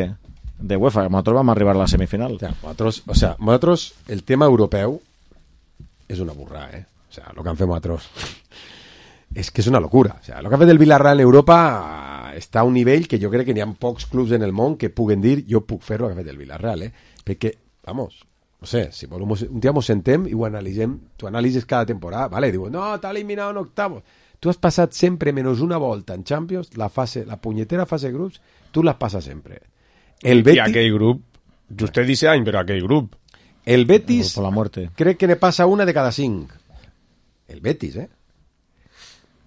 de UEFA, nosaltres vam arribar a la semifinal. O sea, nosaltres, o sea, nosaltres el tema europeu és una burra, eh? O sea, lo que han fet nosaltres és que és una locura. O sea, lo que ha fet el Villarreal en Europa està a un nivell que jo crec que n'hi ha pocs clubs en el món que puguen dir jo puc fer lo que ha fet el Villarreal, eh? Perquè, vamos, no sé, si volem, un dia mos sentem i ho analitzem, tu analitzes cada temporada, vale? Diu, no, t'ha eliminat en octavos. Tu has passat sempre menys una volta en Champions, la fase, la punyetera fase de grups, tu la passes sempre. El Betis... I aquell grup, vostè dice any, però aquell grup. El Betis, por la muerte. Crec que ne passa una de cada cinc. El Betis, eh?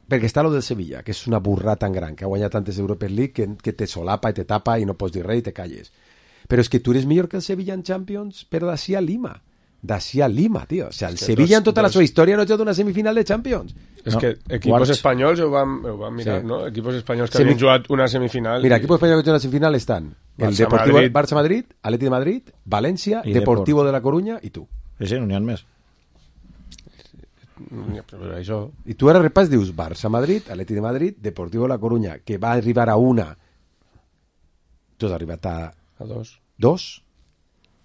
Perquè està lo del Sevilla, que és una burra tan gran, que ha guanyat tantes Europa League, que, que te solapa i te tapa i no pots dir res i te calles. Però és que tu eres millor que el Sevilla en Champions, però d'ací a Lima. d'ací a Lima, tio. O sigui, el que Sevilla dos, en tota dos... la seva història no ha jugat una semifinal de Champions. És no. que equipos Quarts. espanyols ho van, ho van mirar, Sí. no? Equipos espanyols que Semi... havien jugat una semifinal... Mira, i... equipos espanyols que han jugat una semifinal estan el Barça, Deportivo Madrid. Barça-Madrid, Atleti de Madrid, València, I Deportivo Depor. de la Coruña i tu. Sí, sí, no n'hi ha més. Però això... I tu ara repàs dius Barça-Madrid, Atleti de Madrid, Deportivo de la Coruña, que va arribar a una. Tu has arribat a... A dos. Dos?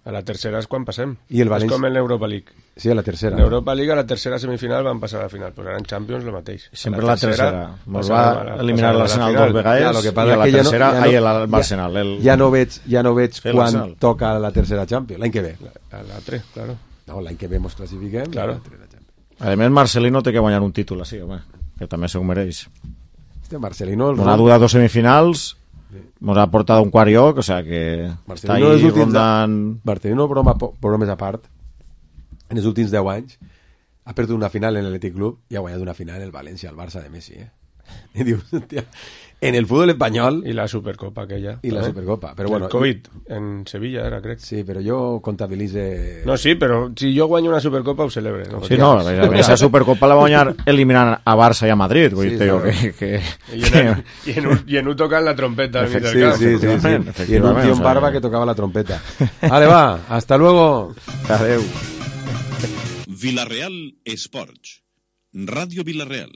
A la tercera és quan passem. I el València... És com en l'Europa League. Sí, a la tercera. En l'Europa League, a la tercera semifinal van passar a la final. Pues ara en Champions lo mateix. Sempre la tercera. Mos va passarem a la- eliminar passarem a la l'Arsenal final. dos vegades Ja, lo que i passa a la que ja no- tercera ja no- ahí el ja- Arsenal. El... Ja no veig, ja no veig Sí, quan l'Arsenal. toca la tercera Champions. L'any que ve. A l'altre, claro. No, l'any que ve mos classifiquem. Claro. A més, Marcelino té que guanyar un títol, així, home, que també se ho mereix. Este Marcelino... El Nos ha durat dos semifinals, nos ha portat a un quart lloc, o sea que està Marcelino els ahí últims rondant... Marcelino, broma, bromes a part, en els últims deu anys ha perdut una final en l'Atlètic Club i ha guanyat una final el València, el Barça de Messi, eh? I dius, hòstia, en el fútbol espanyol... I la Supercopa aquella. I la també. Supercopa, però El bueno... Covid, en Sevilla era, crec. Sí, però jo comptabilitze... No, sí, però si jo guanyo una Supercopa ho celebre. No? Sí, no, esa Supercopa la va guanyar eliminant a Barça i a Madrid, vull dir, claro. que... que, I en, i en, un, i en un tocant la trompeta al mig del Sí, camp. sí, sí, sí. Y en un tío en barba que tocaba la trompeta. Vale, va, hasta luego. Adeu. Villarreal Esports. Ràdio Villarreal.